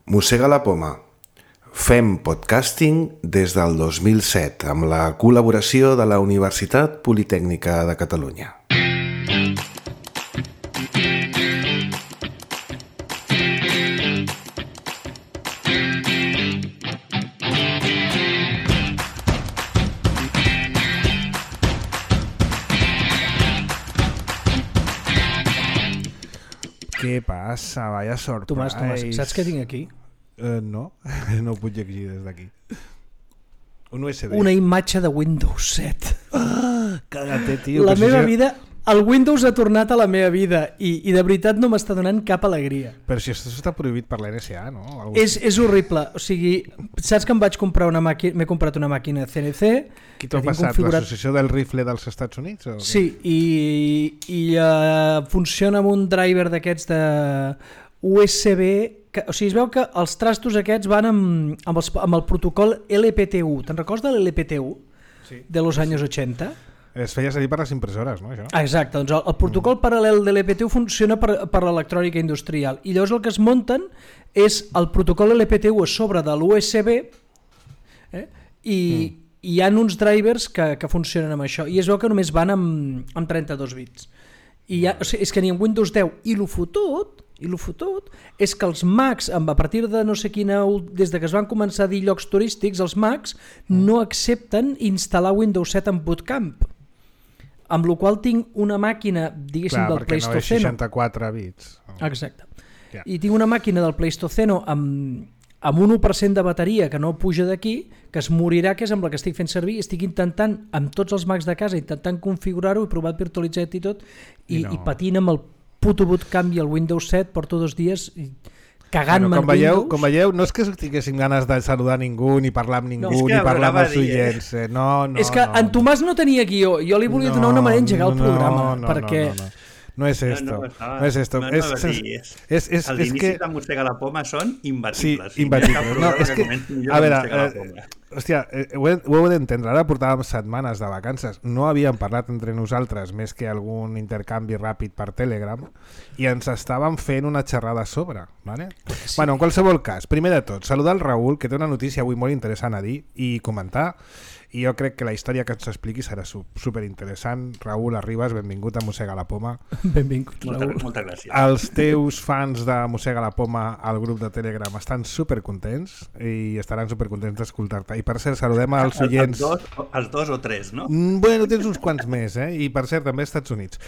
Mossega la poma. Fem podcasting des del 2007 amb la col·laboració de la Universitat Politècnica de Catalunya. Què passa? Vaya surprise. Tomàs, saps què tinc aquí? No, no ho puc llegir des d'aquí. Un USB. Una imatge de Windows 7. Caga't, tio. La meva vida... El Windows ha tornat a la meva vida i de veritat no m'està donant cap alegria. Però si això està prohibit per la NSA, no? És horrible. O sigui, saps que em vaig comprar una màquina, m'he comprat una màquina CNC. Qui t'ho ha passat? configurat... L'Associació del Rifle dels Estats Units? O sí, i funciona amb un driver d'aquests de USB. O sigui, es veu que els trastos aquests van amb el protocol LPTU. Te'n recordes de l'LPTU? Sí. De los anys 80? Es feia servir per les impressores, no? Això? Exacte, doncs el protocol paral·lel de l'LPTU funciona per l'electrònica industrial i llavors el que es munten és el protocol LPTU a sobre de l'USB i hi ha uns drivers que funcionen amb això i es veu que només van amb 32 bits. O sigui, és que ni en Windows 10 i lo fotut és que els Macs, a partir de no sé quina, des de que es van començar a dir llocs turístics, els Macs no accepten instal·lar Windows 7 en Bootcamp. Amb la qual tinc una màquina, diguéssim, del Pleistoceno. Clar, perquè no és 64 bits. Exacte. Yeah. I tinc una màquina del Pleistoceno amb un 1% de bateria que no puja d'aquí, que es morirà, que és amb la que estic fent servir, i estic intentant, amb tots els Macs de casa, intentant configurar-ho, he provat virtualitzat i tot, i patint amb el puto Bootcamp i el Windows 7, porto 2 dies cagant-me en Windows. Com veieu, no és que tinguéssim ganes de saludar ningú, ni parlar amb ningú, ni parlar amb els oients. No, és que en Tomàs no tenia guió, jo li volia donar una manera d'engegar el programa, perquè... No es esto. No es esto. Els inicis de Mossega la poma són imbatibles. Sí, imbatibles. No, és que, a veure, hòstia, ho heu d'entendre. Ara portàvem setmanes de vacances. No havíem parlat entre nosaltres més que algun intercanvi ràpid per Telegram i ens estàvem fent una xerrada a sobre. Vale? Sí. Bueno, en qualsevol cas, primer de tot, saludar el Raül, que té una notícia avui molt interessant a dir i comentar. I jo crec que la història que ens expliqui serà superinteressant. Raül Arribas, benvingut a Mossega la Poma. Benvingut, Raül. Moltes gràcies. Els teus fans de Mossega la Poma al grup de Telegram estan supercontents i estaran supercontents d'escoltar-te. I per cert, saludem als oients... Els dos o tres, no? Bueno, tens uns quants més, I per cert, també als Estats Units.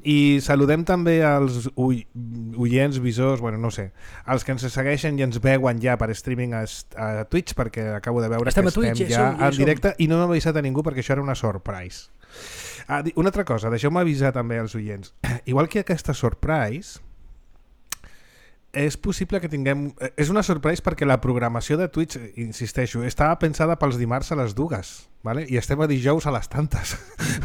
I saludem també als oients, visors, bueno, no sé, els que ens segueixen i ens veuen ja per streaming a Twitch, perquè acabo de veure que estem ja en directe i no m'ha avisat a ningú perquè això era una surprise. Una altra cosa, deixeu-me avisar també als oients. Igual que aquesta surprise, és possible que tinguem... És una surprise perquè la programació de Twitch, insisteixo, estava pensada pels dimarts a les 2, ¿vale? I estem a dijous a les tantes.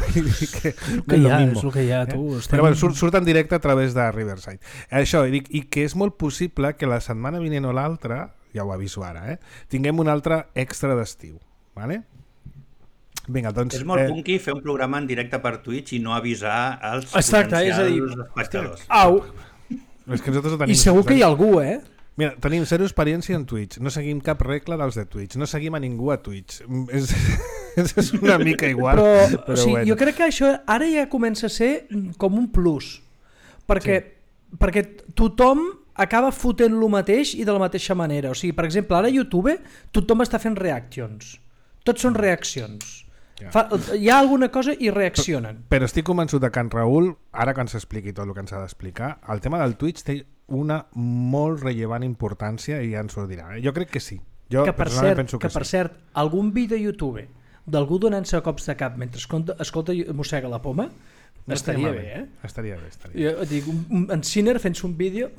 És el que hi ha, tu. Però bueno, surt en directe a través de Riverside. Això, i que és molt possible que la setmana vinent o l'altra, ja ho aviso ara, tinguem un altre extra d'estiu. Vale? Vinga, doncs... És molt punky fer un programa en directe per Twitch i no avisar als potencials espectadors. Au! És que nosaltres ho tenim. I segur que hi ha algú, Mira, tenim zero experiència en Twitch, no seguim cap regla dels de Twitch, no seguim a ningú a Twitch. És una mica igual. Però sí, bueno. Jo crec que això ara ja comença a ser com un plus, perquè tothom acaba fotent lo mateix i de la mateixa manera. O sigui, per exemple, ara a YouTube tothom està fent reactions. Tots són reaccions. Hi ha alguna cosa i reaccionen. Però estic convençut que en Raül, ara que ens expliqui tot el que ens ha d'explicar, el tema del Twitch té una molt rellevant importància i ja ens ho dirà. Jo crec que sí. Jo personalment penso que sí. Per cert, algun vídeo de YouTube d'algú donant-se cops de cap mentre escolta Mossega la Poma estaria bé, Estaria bé. Jo dic, en Sinner fent-se un vídeo...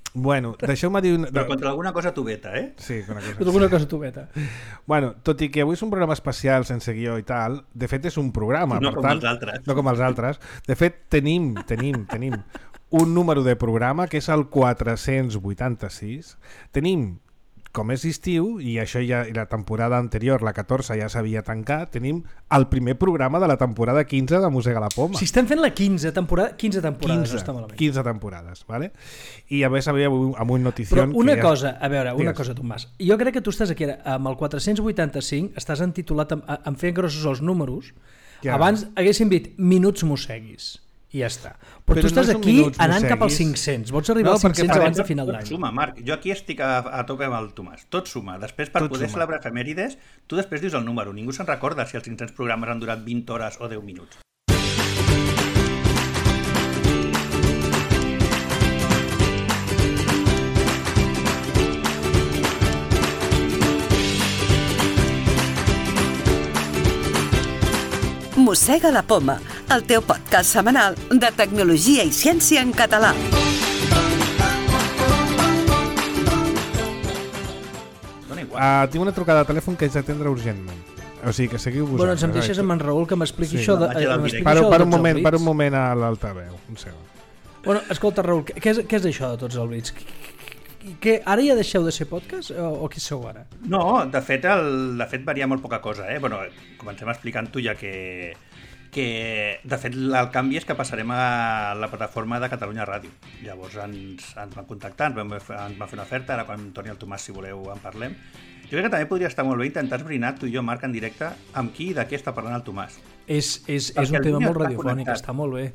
Bueno, deixeu-me dir... Però contra alguna cosa tubeta, Sí, contra alguna cosa tubeta. Bueno, tot i que avui és un programa especial sense guió i tal, de fet és un programa, no per com tant... els altres. No com els altres. De fet, tenim un número de programa que és el 486. Tenim com és estiu, i això ja la temporada anterior, la 14, ja s'havia tancat, tenim el primer programa de la temporada 15 de Mossega la Poma. Si estem fent la 15 temporades, no està malament. 15 temporades, ¿vale? I a més havia amb un notició... Però una cosa, a veure, una cosa, Tomàs. Jo crec que tu estàs aquí amb el 485, estàs entitulat en fer grossos els números. Abans haguéssim dit minuts mosseguis. I ja està. Però tu estàs aquí anant cap als 500. Vols arribar als 500 abans de final d'any. Tot suma, Marc. Jo aquí estic a tope amb el Tomàs. Tot suma. Després, per poder celebrar efemèrides, tu després dius el número. Ningú se'n recorda si els 500 programes han durat 20 hores o 10 minuts. Mossega la Poma, el teu podcast setmanal de tecnologia i ciència en català. Tinc una trucada de telèfon que haig d'atendre urgentment. O sigui que seguiu vosaltres. Bueno, ens em deixes amb en Raül que m'expliqui això. Per un moment a l'altaveu. Un segon. Bueno, escolta, Raül, què és això de tots els bits? Que ara ja deixeu de ser podcast o què sou ara? No, de fet varia molt poca cosa. Bueno, comencem explicant-ho ja que de fet el canvi és que passarem a la plataforma de Catalunya Ràdio. Llavors ens van contactar, ens van fer una oferta, ara quan torni el Tomàs, si voleu, en parlem. Jo crec que també podria estar molt bé intentar esbrinar tu i jo, Marc, en directe, amb qui i de què està parlant el Tomàs. És un tema molt radiofònic, està molt bé.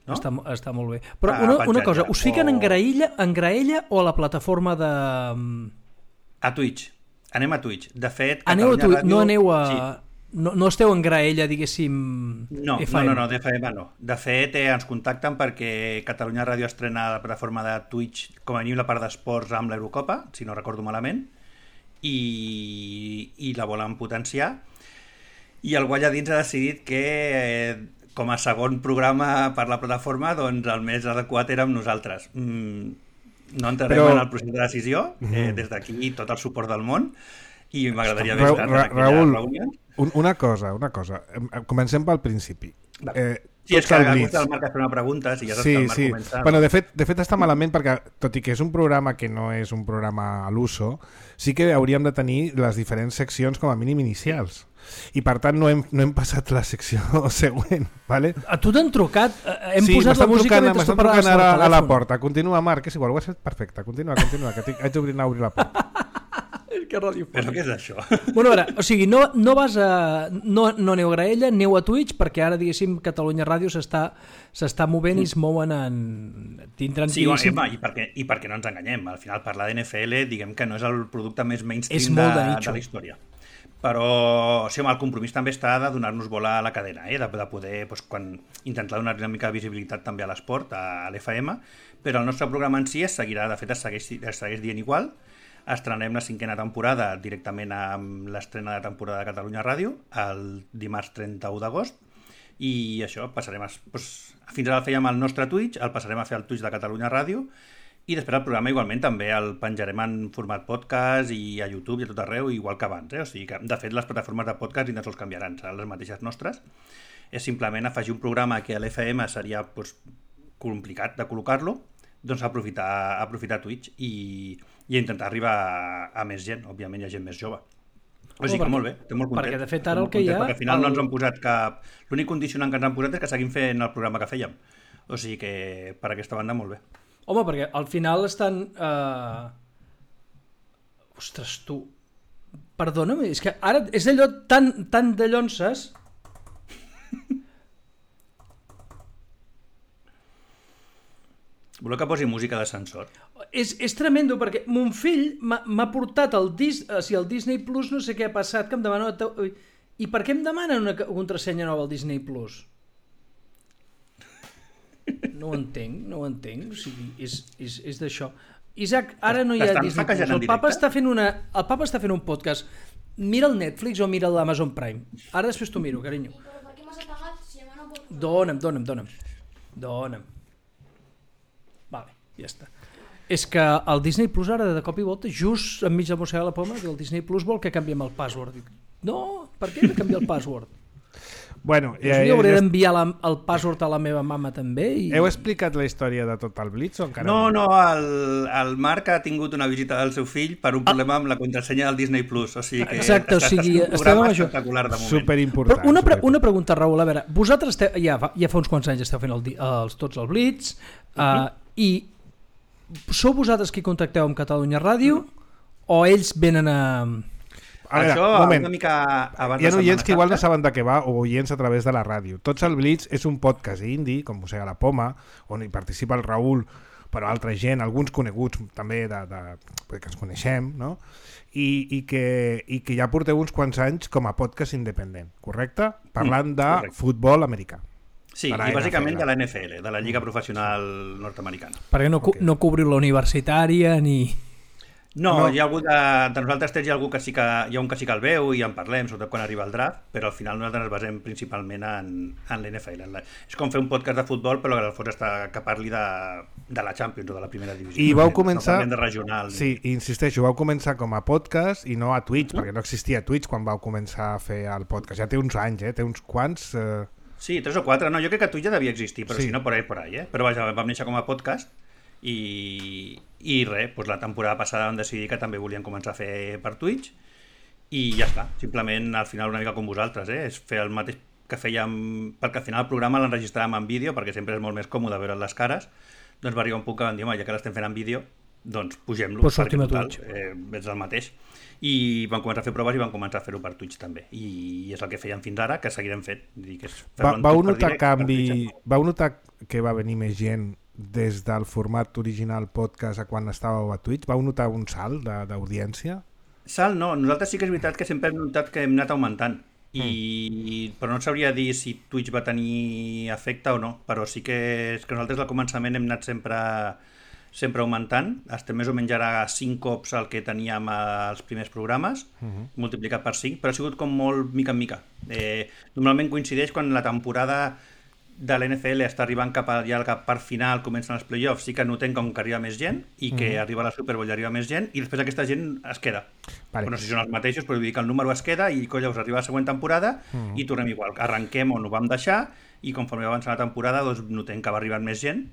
No? Està molt bé. Però una cosa, us fiquen en graella o a la plataforma de... A Twitch. Anem a Twitch. De fet, aneu a Twitch, Ràdio... no aneu a... Sí. No esteu en graella, diguéssim... No, d'FM no. De fet, ens contacten perquè Catalunya Ràdio estrena la plataforma de Twitch, com a mínim la part d'esports amb l'Eurocopa, si no recordo malament, i la volen potenciar. I el Guanyadins ha decidit que... com a segon programa per la plataforma, doncs el més adequat érem nosaltres. No entrarem en el procés de decisió, des d'aquí tot el suport del món, i m'agradaria haver estat en aquella reunió. Una cosa. Comencem pel principi. Sí, és que el Marc ha fet una pregunta, si ja saps que el Marc comença... Bueno, de fet està malament perquè, tot i que és un programa que no és un programa a l'uso, sí que hauríem de tenir les diferents seccions com a mínim inicials. I per tant no hem passat la secció següent, ¿vale? A tu t'han trucat, hem posat la música mentre tu parlaves per telèfon. A la porta, continua, Marc, és igual, ho has fet perfecte, continua, que haig d'obrir la porta. Que radiofònic. Però què és això? Bueno, a veure, o sigui, no vas a... No aneu a graella, aneu a Twitch, perquè ara, diguéssim, Catalunya Ràdio s'està movent i es mouen en... Sí, i perquè no ens enganyem. Al final, parlar d'NFL, diguem que no és el producte més mainstream de la història. Però sí, el compromís també està de donar-nos bola a la cadena, de poder intentar donar una mica de visibilitat també a l'esport, a l'FM, però el nostre programa en si es seguirà, de fet es segueix dient igual. Estrenem la 5a temporada directament amb l'estrena de temporada de Catalunya Ràdio el dimarts 31 d'agost i això, passarem fins ara el fèiem al nostre Twitch, el passarem a fer al Twitch de Catalunya Ràdio i després el programa igualment també el penjarem en format podcast i a YouTube i a tot arreu igual que abans, O sigui que de fet les plataformes de podcast ni tan sols canviaran, seran les mateixes nostres, és simplement afegir un programa que a l'FM seria complicat de col·locar-lo, doncs aprofitar Twitch i intentar arribar a més gent, òbviament hi ha gent més jove. O sigui que molt bé, estic molt content. Perquè de fet ara el que hi ha... Perquè al final no ens han posat cap... L'únic condicionant que ens han posat és que seguim fent el programa que fèiem. O sigui que per aquesta banda molt bé. Home, perquè al final estan... Ostres, tu... Perdona'm, és que ara és allò tan de llonces... Voleu que posi música d'ascensor? És tremendo, perquè mon fill m'ha portat el Disney Plus, no sé què ha passat, que em demana... I per què em demanen una contrasenya nova al Disney Plus? No ho entenc. O sigui, és d'això. Isaac, ara no hi ha Disney Plus. El papa està fent un podcast. Mira el Netflix o mira l'Amazon Prime. Ara després t'ho miro, carinyo. Però per què m'has apagat si demà no pot... Dóna'm. Vale, ja està. És que el Disney Plus ara de cop i volta, just enmig de Mossega la Poma, el Disney Plus vol que canviem el password. Dic, no, per què hem de canviar el password? Bueno, jo hauré d'enviar el password a la meva mama també. Heu explicat la història de Total Blitz o encara no? El Marc ha tingut una visita del seu fill per un problema amb la contrasenya del Disney Plus, o sigui que exacte, estem en un programa espectacular de moment. Superimportant. Però una pregunta, Raül, a veure, vosaltres ja fa uns quants anys esteu fent tots els Blitz, i sou vosaltres qui contacteu amb Catalunya Ràdio o ells venen a... Això una mica abans hi ha oients que igual no saben de què va o oients a través de la ràdio. Tots el Blitz és un podcast indie, com Mossega la Poma, on hi participa el Raül, però altra gent, alguns coneguts també que ens coneixem, no? I que ja porteu uns quants anys com a podcast independent, correcte? Parlant de futbol americà. Sí, i bàsicament de la NFL, de la Lliga Professional Nord-Americana. Perquè no cobriu la universitària ni... No, hi ha algú de nosaltres hi ha algú que sí que hi ha un que sí que el veu i en parlem, sobretot quan arriba el draft, però al final nosaltres ens basem principalment en l'NFL. És com fer un podcast de futbol, però que al fons està que parli de la Champions o de la primera divisió. I vau començar... No de regional. Sí, insisteixo, vau començar com a podcast i no a Twitch, perquè no existia Twitch quan vau començar a fer el podcast. Ja té uns anys, té uns quants... Sí, 3 o 4. No, jo crec que Twitch ja devia existir, però si no, por ahí. Però vaja, vam néixer com a podcast i res, doncs la temporada passada vam decidir que també volíem començar a fer per Twitch i ja està, simplement al final una mica com vosaltres, és fer el mateix que fèiem, perquè al final el programa l'enregistràvem en vídeo, perquè sempre és molt més còmode veure les cares, doncs va arribar un punt que vam dir, ja que l'estem fent en vídeo, doncs pugem-lo, perquè total, és el mateix. I vam començar a fer proves i vam començar a fer-ho per Twitch també, i és el que fèiem fins ara, que seguirem fent. Vau notar canvi, vau notar que va venir més gent des del format original podcast a quan estàveu a Twitch? Vau notar un salt d'audiència? Salt no, nosaltres sí que és veritat que sempre hem notat que hem anat augmentant, però no sabria dir si Twitch va tenir efecte o no, però sí que és que nosaltres al començament hem anat sempre augmentant, estem més o menys ara 5 cops el que teníem als primers programes, multiplicat per 5, però ha sigut com molt mica en mica. Normalment coincideix quan la temporada de l'NFL està arribant cap a la part final, comencen els playoffs, sí que notem com que arriba més gent i que arriba a la Super Bowl i arriba més gent i després aquesta gent es queda. Vale. No sé si són els mateixos, però vull dir que el número es queda i llavors arriba la següent temporada i tornem igual. Arrenquem on ho vam deixar i conforme va avançar la temporada doncs notem que va arribant més gent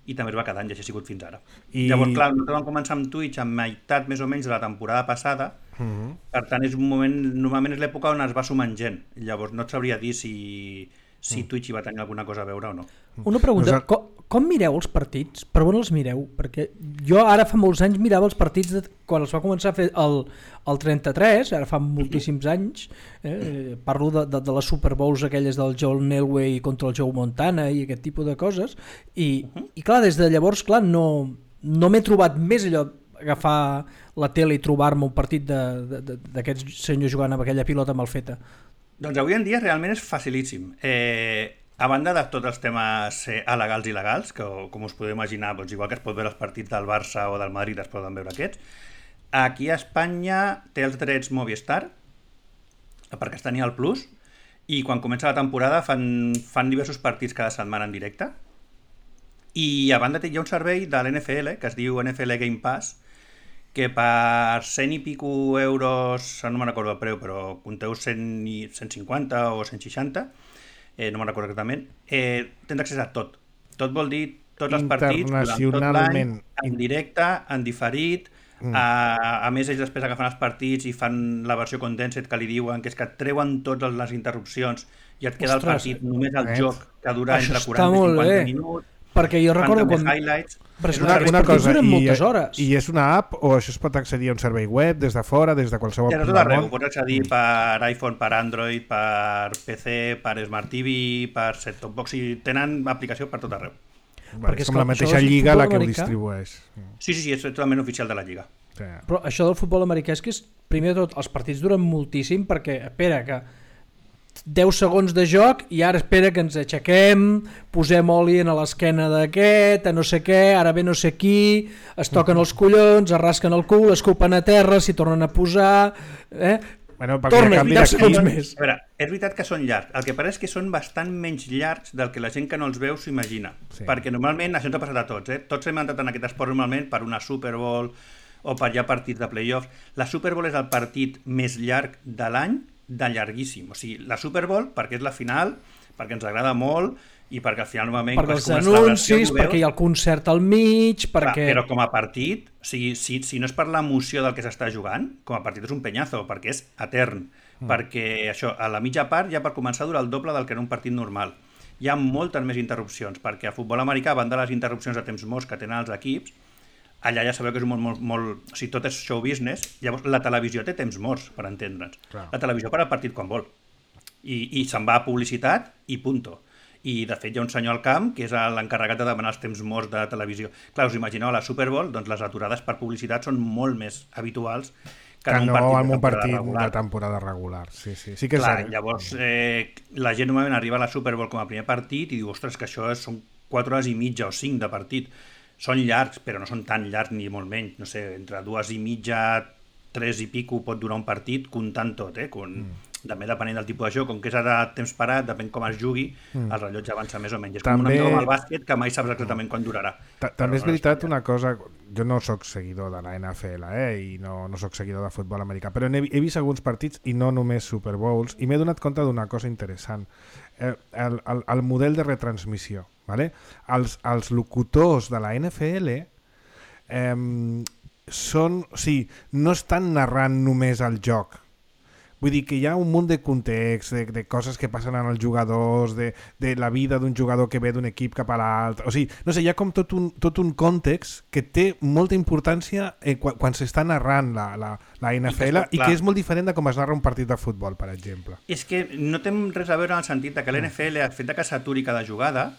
i també es va quedant i així ha sigut fins ara. Llavors, clar, nosaltres vam començar amb Twitch a meitat més o menys de la temporada passada, per tant és un moment, normalment és l'època on es va sumant gent. Llavors no et sabria dir si Twitch hi va tenir alguna cosa a veure o no. Una pregunta, com mireu els partits? Per on els mireu? Perquè jo ara fa molts anys mirava els partits quan els va començar a fer el 33, ara fa moltíssims anys, parlo de les Super Bowls aquelles del John Elway contra el Joe Montana i aquest tipus de coses, i clar, des de llavors clar, no m'he trobat més allò agafar la tele i trobar-me un partit d'aquests senyors jugant amb aquella pilota mal feta. Doncs avui en dia realment és facilíssim. A banda de tots els temes alegals i il·legals, que com us podeu imaginar, doncs igual que es pot veure els partits del Barça o del Madrid es poden veure aquests, aquí a Espanya té els drets Movistar, perquè es tenia el Plus, i quan comença la temporada fan diversos partits cada setmana en directe, i a banda hi ha un servei de l'NFL, que es diu NFL Game Pass, que per 100 i pico euros, no me'n recordo el preu, però compteu 150 o 160, no me'n recordo exactament, tens accés a tot. Tot vol dir tots els partits durant tot l'any, en directe, en diferit, a més ells després agafen els partits i fan la versió condensed que li diuen, que és que et treuen totes les interrupcions i et queda el partit només el joc, que dura entre 40 i 50 minuts. Perquè jo recordo quan... Però és una cosa, i és una app o això es pot accedir a un servei web des de fora, des de qualsevol punt del món? Pots accedir per iPhone, per Android, per PC, per Smart TV, per set-top box, i tenen aplicació per tot arreu. És com la mateixa lliga la que ho distribueix. Sí, és totalment oficial de la lliga. Però això del futbol americà és que primer de tot els partits duren moltíssim perquè, espera, que 10 segons de joc i ara espera que ens aixequem, posem oli a l'esquena d'aquest, a no sé què, ara ve no sé qui, es toquen els collons, es rasquen el cul, escupen a terra, s'hi tornen a posar... Torna, 10 segons més. A veure, és veritat que són llargs, el que passa és que són bastant menys llargs del que la gent que no els veu s'imagina, perquè normalment, això ens ha passat a tots, tots hem entrat en aquest esport normalment per una Super Bowl o per ja partits de playoffs. La Super Bowl és el partit més llarg de l'any de llarguíssim. O sigui, la Super Bowl, perquè és la final, perquè ens agrada molt i perquè al final normalment... Perquè els anuncis, perquè hi ha el concert al mig, perquè... Però com a partit, o sigui, si no és per l'emoció del que s'està jugant, com a partit és un penyazo, perquè és etern. Perquè això, a la mitja part ja per començar dura el doble del que era un partit normal. Hi ha moltes més interrupcions, perquè a futbol americà, a banda de les interrupcions de temps morts que tenen els equips, allà ja sabeu que és molt... O sigui, tot és show business, llavors la televisió té temps morts, per entendre'ns. Clar. La televisió para el partit quan vol. I se'n va a publicitat i punto. I de fet hi ha un senyor al camp que és l'encarregat de demanar els temps morts de televisió. Clar, us imagineu, a la Super Bowl, doncs les aturades per publicitat són molt més habituals que no en un partit regular. de temporada regular. Sí que és clar, llavors la gent normalment arriba a la Super Bowl com a primer partit i diu, ostres, que això són 4 hores i mitja o 5 de partit. Són llargs, però no són tan llargs ni molt menys. No sé, entre 2 i mitja, 3 i pico pot durar un partit, comptant tot, també depenent del tipus de joc, com que és ara temps parat, depèn com es jugui, el rellotge avança més o menys. És com una mica com el bàsquet, que mai saps exactament quan durarà. També és veritat una cosa, jo no sóc seguidor de la NFL i no sóc seguidor de futbol americà, però he vist alguns partits i no només Super Bowls, i m'he donat compte d'una cosa interessant. El model de retransmissió. Vale? Els locutors de la NFL no estan narrant només el joc. Vull dir que hi ha un munt de context, de coses que passen en els jugadors, de la vida d'un jugador que ve d'un equip cap a l'altre. O sigui, no sé, hi ha com tot un context que té molta importància quan s'està narrant la NFL i que és molt diferent de com es narra un partit de futbol, per exemple. És que no té res a veure en el sentit que l'NFL, el fet que s'aturi cada jugada,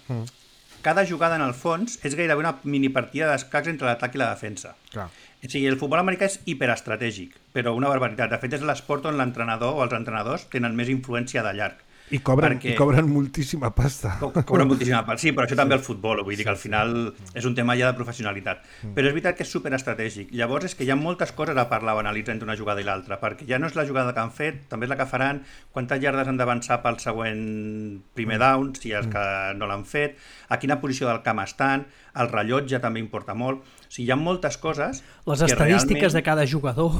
cada jugada en el fons és gairebé una minipartida d'escacs entre l'atac i la defensa. Clar. O sigui, el futbol americà és hiperestratègic, però una barbaritat. De fet, és l'esport on l'entrenador o els entrenadors tenen més influència de llarg. I cobren moltíssima pasta. Cobren moltíssima pasta, sí, però això també el futbol, vull dir que al final és un tema ja de professionalitat. Però és veritat que és superestratègic. Llavors és que hi ha moltes coses a parlar o analitzar entre una jugada i l'altra, perquè ja no és la jugada que han fet, també és la que faran, quantes iardes han d'avançar pel següent primer down, si és que no l'han fet, a quina posició del camp estan, el rellotge també importa molt. O sigui, hi ha moltes coses... Les estadístiques de cada jugador...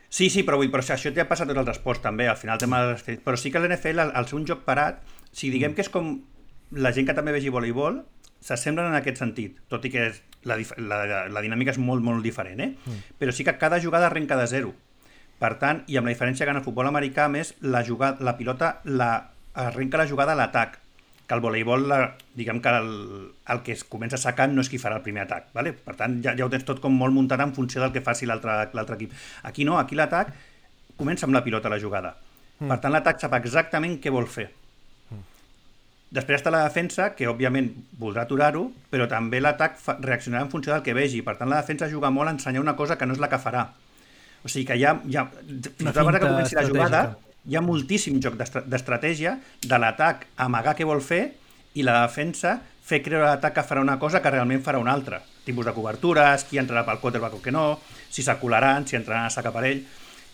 Sí, però això ja passa a tots els esports també, al final tema de les... Però sí que l'NFL, al ser un joc parat, si diguem que és com la gent que també vegi voleibol, s'assemblen en aquest sentit, tot i que la dinàmica és molt, molt diferent, Però sí que cada jugada arrenca de zero. Per tant, i amb la diferència que en el futbol americà, més, la pilota arrenca la jugada a l'atac, que el voleibol, diguem que el que es comença sacant no és qui farà el primer atac, ¿vale? Per tant ja ho tens tot com molt muntat en funció del que faci l'altre equip. Aquí no, aquí l'atac comença amb la pilota a la jugada. Per tant l'atac sap exactament què vol fer. Després està la defensa, que òbviament voldrà aturar-ho, però també l'atac reaccionarà en funció del que vegi. Per tant la defensa juga molt a ensenyar una cosa que no és la que farà. O sigui que fins a que comenci la jugada hi ha moltíssim joc d'estratègia de l'atac amagar què vol fer i la defensa fer creure l'atac que farà una cosa que realment farà una altra. Tipus de cobertures, qui entrarà pel quarterback o què no, si s'acularan, si entraran a sacar per ell.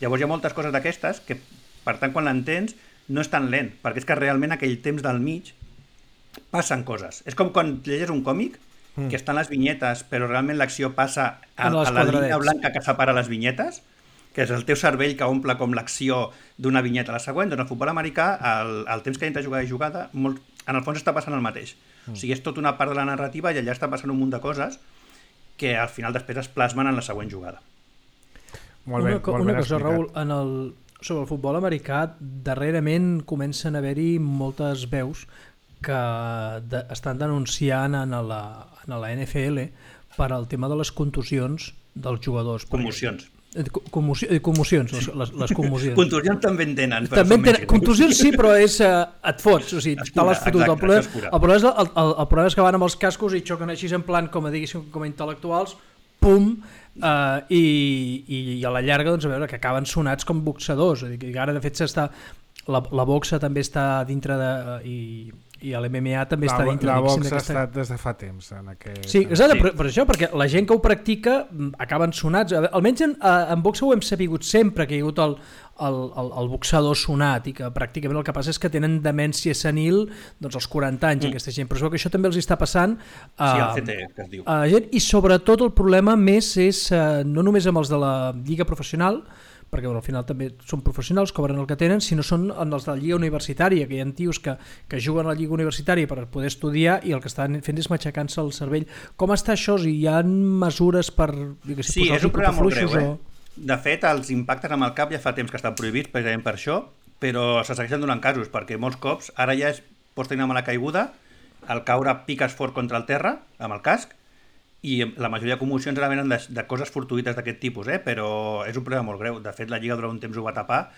Llavors hi ha moltes coses d'aquestes que, per tant, quan l'entens, no és tan lent, perquè és que realment aquell temps del mig passen coses. És com quan llegeix un còmic, que estan les vinyetes, però realment l'acció passa a la línia blanca que separa les vinyetes, que és el teu cervell que omple com l'acció d'una vinyeta a la següent. Doncs el futbol americà, el temps que hi ha entre jugada i jugada, en el fons està passant el mateix. O sigui, és tota una part de la narrativa i allà està passant un munt de coses que al final després es plasmen en la següent jugada. Una cosa, Raül, sobre el futbol americà, darrerament comencen a haver-hi moltes veus que estan denunciant en la NFL per al tema de les contusions dels jugadors. Commocions. Commocions, les commocions. Contusions també en tenen. Contusions sí, però et fots, o sigui, te l'has fotut. El problema és que van amb els cascos i xoquen així en plan, com a intel·lectuals, pum, i a la llarga, doncs, a veure, que acaben sonats com boxadors. Ara, de fet, la boxa també està dintre i l'MMA també està dintre. La boxa ha estat des de fa temps en aquest... Sí, exacte, per això, perquè la gent que ho practica acaben sonats. Almenys en boxa ho hem sapigut sempre, que hi ha hagut el boxador sonat i que pràcticament el que passa és que tenen demència senil doncs als 40 anys aquesta gent, però es veu que això també els està passant el CT, que es diu. I sobretot el problema més és no només amb els de la lliga professional, perquè al final també són professionals, cobren el que tenen, sinó són els de la lliga universitària, que hi ha tios que juguen a la lliga universitària per poder estudiar i el que estan fent és matxacant-se el cervell. Com està això? Hi ha mesures per... Sí, és un problema molt greu, De fet, els impactes amb el cap ja fa temps que estan prohibits precisament per això, però se segueixen donant casos, perquè molts cops ara ja pots tenir una mala caiguda, al caure piques fort contra el terra amb el casc, i la majoria de commocions ara venen de coses fortuïtes d'aquest tipus, però és un problema molt greu. De fet, la Lliga durant un temps ho va tapar,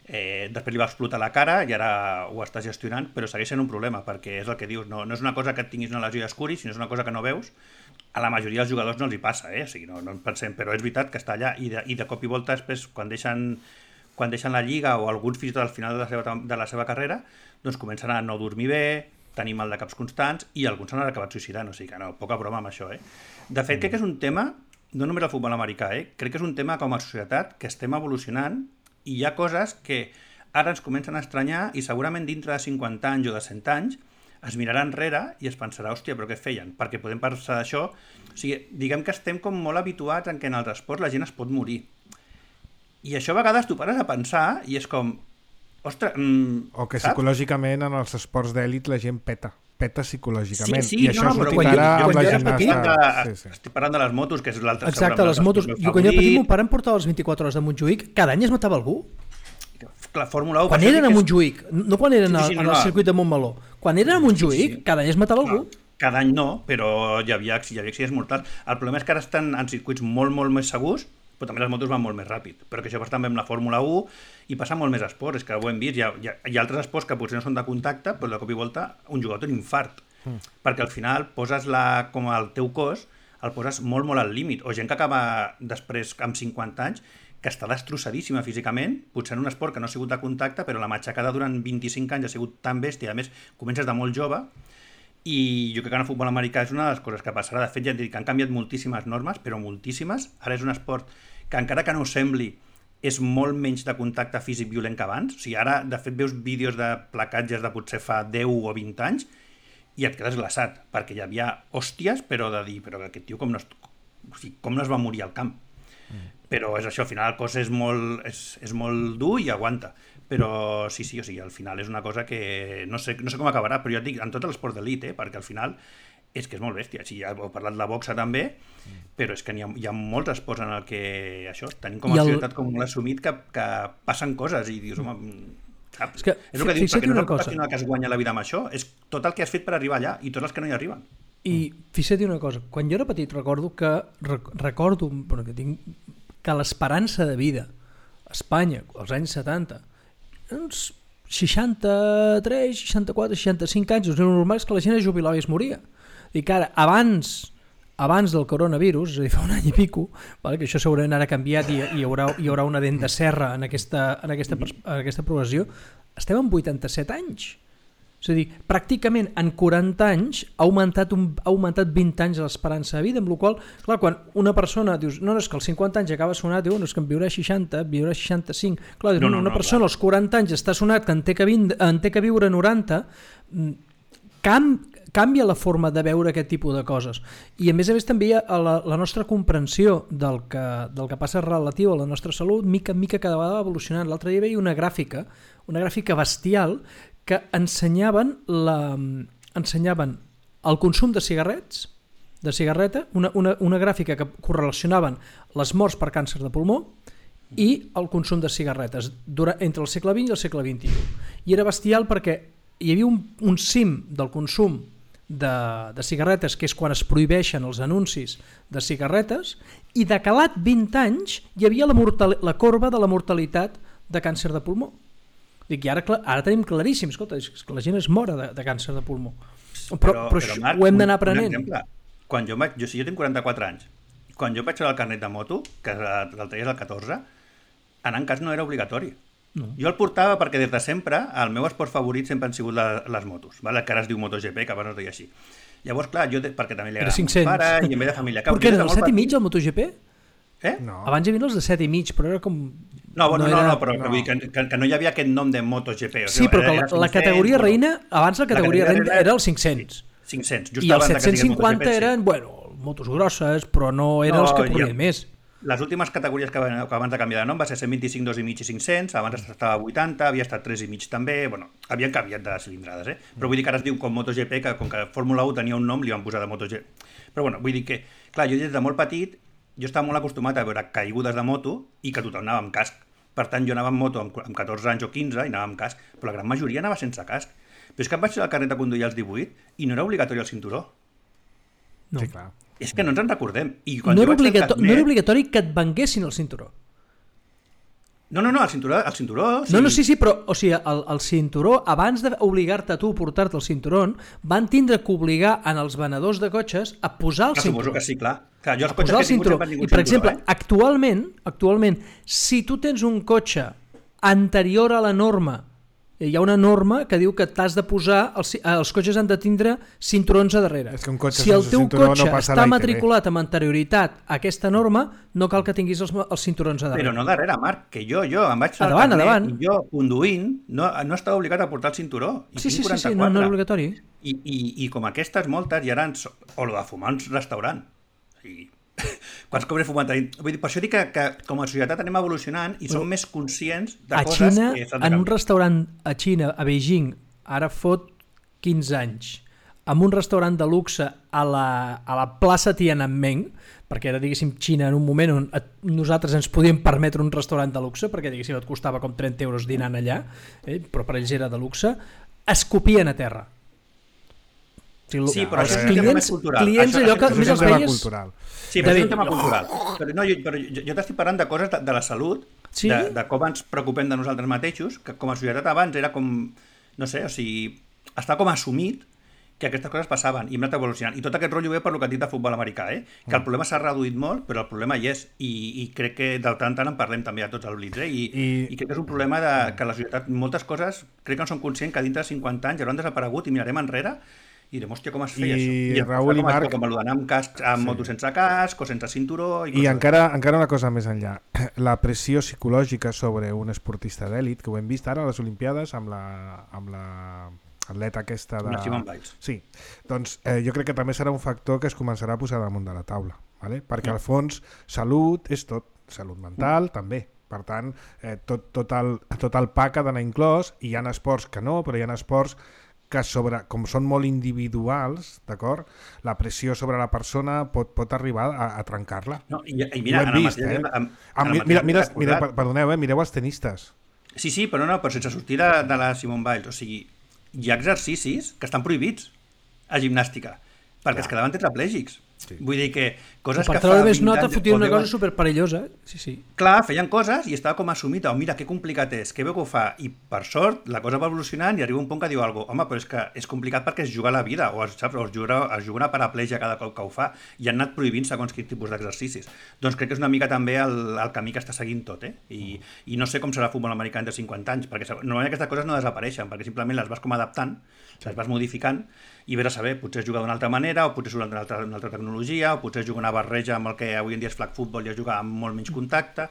després li va explotar la cara i ara ho està gestionant, però segueix sent un problema, perquè és el que dius, no és una cosa que et tinguis una lesió i escuris, sinó és una cosa que no veus. A la majoria dels jugadors no els hi passa, o sigui, no en pensem, però és veritat que està allà i de cop i volta després, quan deixen la Lliga o alguns fins i tot al final de la seva carrera, doncs comencen a no dormir bé, tenir mal de caps constants i alguns s'han acabat suïcidant, o sigui que no, poca broma amb això. De fet, crec que és un tema, no només el futbol americà, crec que és un tema com a societat que estem evolucionant i hi ha coses que ara ens comencen a estranyar i segurament dintre de 50 anys o de 100 anys es mirarà enrere i es pensarà, hòstia, però què feien? Perquè podem pensar d'això. O sigui, diguem que estem com molt habituats en què en els esports la gent es pot morir. I això a vegades tu pares a pensar i és com... Ostres, o que psicològicament en els esports d'èlit la gent peta psicològicament. Sí, i això es notarà amb la gimnasta. Estic parlant de les motos, que és l'altre. Exacte, les motos. Jo quan era petit, mon pare em portava les 24 hores de Montjuïc, cada any es matava algú. La Fórmula 1... Quan eren a Montjuïc, no quan eren al circuit de Montmeló. Quan eren a Montjuïc, cada any es matava algú. Cada any no, però hi havia accidents mortals. El problema és que ara estan en circuits molt, molt més segurs, però també les motos van molt més ràpid, però que això passa també amb la Fórmula 1 i passa molt més esports, és que ho hem vist, hi ha altres esports que potser no són de contacte, però de cop i volta un jugador té un infart, perquè al final poses com el teu cos, el poses molt, molt al límit, o gent que acaba després amb 50 anys, que està destrossadíssima físicament, potser en un esport que no ha sigut de contacte, però la matxacada durant 25 anys ha sigut tan bèstia, a més, comences de molt jove, i jo crec que en el futbol americà és una de les coses que passarà. De fet, ja et dic que han canviat moltíssimes normes, però moltíssimes. Ara és un esport que, encara que no ho sembli, és molt menys de contacte físic violent que abans. O sigui, ara, de fet, veus vídeos de placatges de potser fa 10 o 20 anys i et quedes glaçat, perquè hi havia hòsties, però de dir, però aquest tio com no es va morir al camp? Però és això, al final el cos és molt dur i aguanta. Però sí, o sigui, al final és una cosa que no sé com acabarà, però jo et dic, en tot l'esport d'elit, perquè al final és que és molt bèstia. Sí, ja heu parlat de la boxa també, però és que hi ha molts esports en el que això, tenim com a societat com molt assumit que passen coses i dius, home, saps? És el que dius, perquè no és el professional que es guanya la vida amb això, és tot el que has fet per arribar allà i tots els que no hi arriben. I fixa't una cosa, quan jo era petit recordo que l'esperança de vida a Espanya, als anys 70, uns 63, 64, 65 anys, el normal és que la gent es jubilava i es moria. I que ara, abans del coronavirus, és a dir, fa un any i pico, vale, que això segurament ara ha canviat i hi haurà una dent de serra en aquesta progressió, estem en 87 anys. És a dir, pràcticament en 40 anys ha augmentat 20 anys l'esperança de vida, amb la qual cosa, clar, quan una persona dius, no, és que als 50 anys acaba sonat, diu, no, és que en viurà 60, viurà 65, clar, una persona als 40 anys està sonat que en té que viure 90, canvia la forma de veure aquest tipus de coses. I a més també la nostra comprensió del que passa relatiu a la nostra salut, mica en mica cada vegada va evolucionant. L'altre dia veia una gràfica bestial que ensenyaven el consum de cigarreta, una gràfica que correlacionaven les morts per càncer de pulmó i el consum de cigarretes entre el segle XX i el segle XXI. I era bestial perquè hi havia un cim del consum de cigarretes, que és quan es prohibeixen els anuncis de cigarretes, i de calat 20 anys hi havia la corba de la mortalitat de càncer de pulmó. Dic, i ara tenim claríssim, escolta, és que la gent es mora de càncer de pulmó. Però Marc, ho hem d'anar aprenent. Jo tinc 44 anys. Quan jo vaig treure el carnet de moto, que el traies al 14, anar en cas no era obligatori. No. Jo el portava perquè des de sempre el meu esport favorit sempre han sigut les motos, vale? Que ara es diu MotoGP, que abans no es deia així. Llavors, clar, jo perquè també li agrada a mon pare i en ve de família. Per què era el 7,5 el MotoGP? No. Abans hi havia els de 7,5, però era com... No, però vull dir que no hi havia aquest nom de MotoGP. Sí, però que la categoria reina, abans la categoria reina era el 500. 500, just i els 750 eren, motos grosses, però no eren els que corrien més. Les últimes categories que abans de canviar de nom va ser 125, 2,5 i 500, abans estava a 80, havia estat 3,5 també, bueno, havien canviat de cilindrades, però vull dir que ara es diu com MotoGP, que com que Fórmula 1 tenia un nom, li van posar de MotoGP. Però bueno, vull dir que, clar, jo des de molt petit, jo estava molt acostumat a veure caigudes de moto i que tothom anava amb casc. Per tant, jo anava amb moto amb 14 anys o 15 i anava amb casc, però la gran majoria anava sense casc. Però és que em vaig fer el carnet de conduir als 18 i no era obligatori el cinturó. No. Sí, clar. És que no ens en recordem. I No era obligatori que et venguessin el cinturó. No, el cinturó... Sí, però o sigui, el cinturó, abans d'obligar-te a tu a portar-te el cinturó, van tindre que obligar en els venedors de cotxes a posar el cinturó. Suposo que sí, clar. Jo els cotxes que he tingut sempre han tingut cinturó. I, per exemple, actualment, si tu tens un cotxe anterior a la norma, hi ha una norma que diu que t'has de posar, els cotxes han de tindre cinturons a darrere. És que un cotxe si el teu cotxe no està matriculat amb anterioritat a aquesta norma, no cal que tinguis els cinturons a darrere. Però no darrere, Marc, que jo em vaig fer endavant. I jo, conduint, no estava obligat a portar el cinturó. Sí, no era obligatori. I com aquestes moltes, i ara o lo de fumar en un restaurant. Sí. Quants cops he fumat? Vull dir, per això dic que com a societat anem evolucionant i som més conscients de coses Xina, que s'han de en un restaurant a Xina, a Beijing, ara fot 15 anys, amb un restaurant de luxe a la plaça Tiananmen, perquè era, diguéssim, Xina en un moment on nosaltres ens podíem permetre un restaurant de luxe, perquè, diguéssim, et costava com 30 euros dinant allà, però per ells era de luxe, escopien a terra. Sí, però això és un tema més cultural. Clients allò que més els veies... Sí, però és un tema cultural. Però jo t'estic parlant de coses de la salut, de com ens preocupem de nosaltres mateixos, que com a societat abans era com, no sé, o sigui, està com assumit que aquestes coses passaven i hem anat evolucionant. I tot aquest rotllo ve per el que et dic de futbol americà, que el problema s'ha reduït molt, però el problema hi és. I crec que de tant en parlem també a tots els Blitz, i crec que és un problema que la societat, moltes coses, crec que no som conscients que dintre de 50 anys hauran desaparegut i mirarem enrere i direm, hòstia, com es feia això? I Raül i Marc... Com l'anar amb casc, amb moto sense casc o sense cinturó... I encara una cosa més enllà. La pressió psicològica sobre un esportista d'èlit, que ho hem vist ara a les Olimpiades amb la atleta aquesta de... La Simone Biles. Sí. Doncs jo crec que també serà un factor que es començarà a posar damunt de la taula. ¿vale? Perquè al fons salut és tot. Salut mental també. Per tant, tot el pack ha d'anar inclòs, i hi ha esports que no, però hi ha esports que com són molt individuals, d'acord? La pressió sobre la persona pot arribar a trencar-la. No, i mira, perdoneu, mireu els tenistes. Sí, però sense sortir de la Simone Biles. O sigui, hi ha exercicis que estan prohibits a gimnàstica, perquè es quedaven tetraplègics. Sí. Vull dir que coses que fa... Per treure més nota fotia una cosa superperillosa. Sí. Clar, feien coses i estava com assumit, mira, que complicat és, que bé que ho fa, i per sort la cosa va evolucionant i arriba un punt que diu alguna cosa, home, però és que és complicat perquè es juga la vida, o es juga una paraplegia cada cop que ho fa, i han anat prohibint segons quin tipus d'exercicis. Doncs crec que és una mica també el camí que està seguint tot, I no sé com serà el futbol americà de 50 anys, perquè normalment aquestes coses no desapareixen, perquè simplement les vas com adaptant, les vas modificant, i vés a saber, potser es juga d'una altra manera, o potser es juga d'una altra tecnologia, o potser es juga una barreja amb el que avui en dia és flag football i es juga amb molt menys contacte.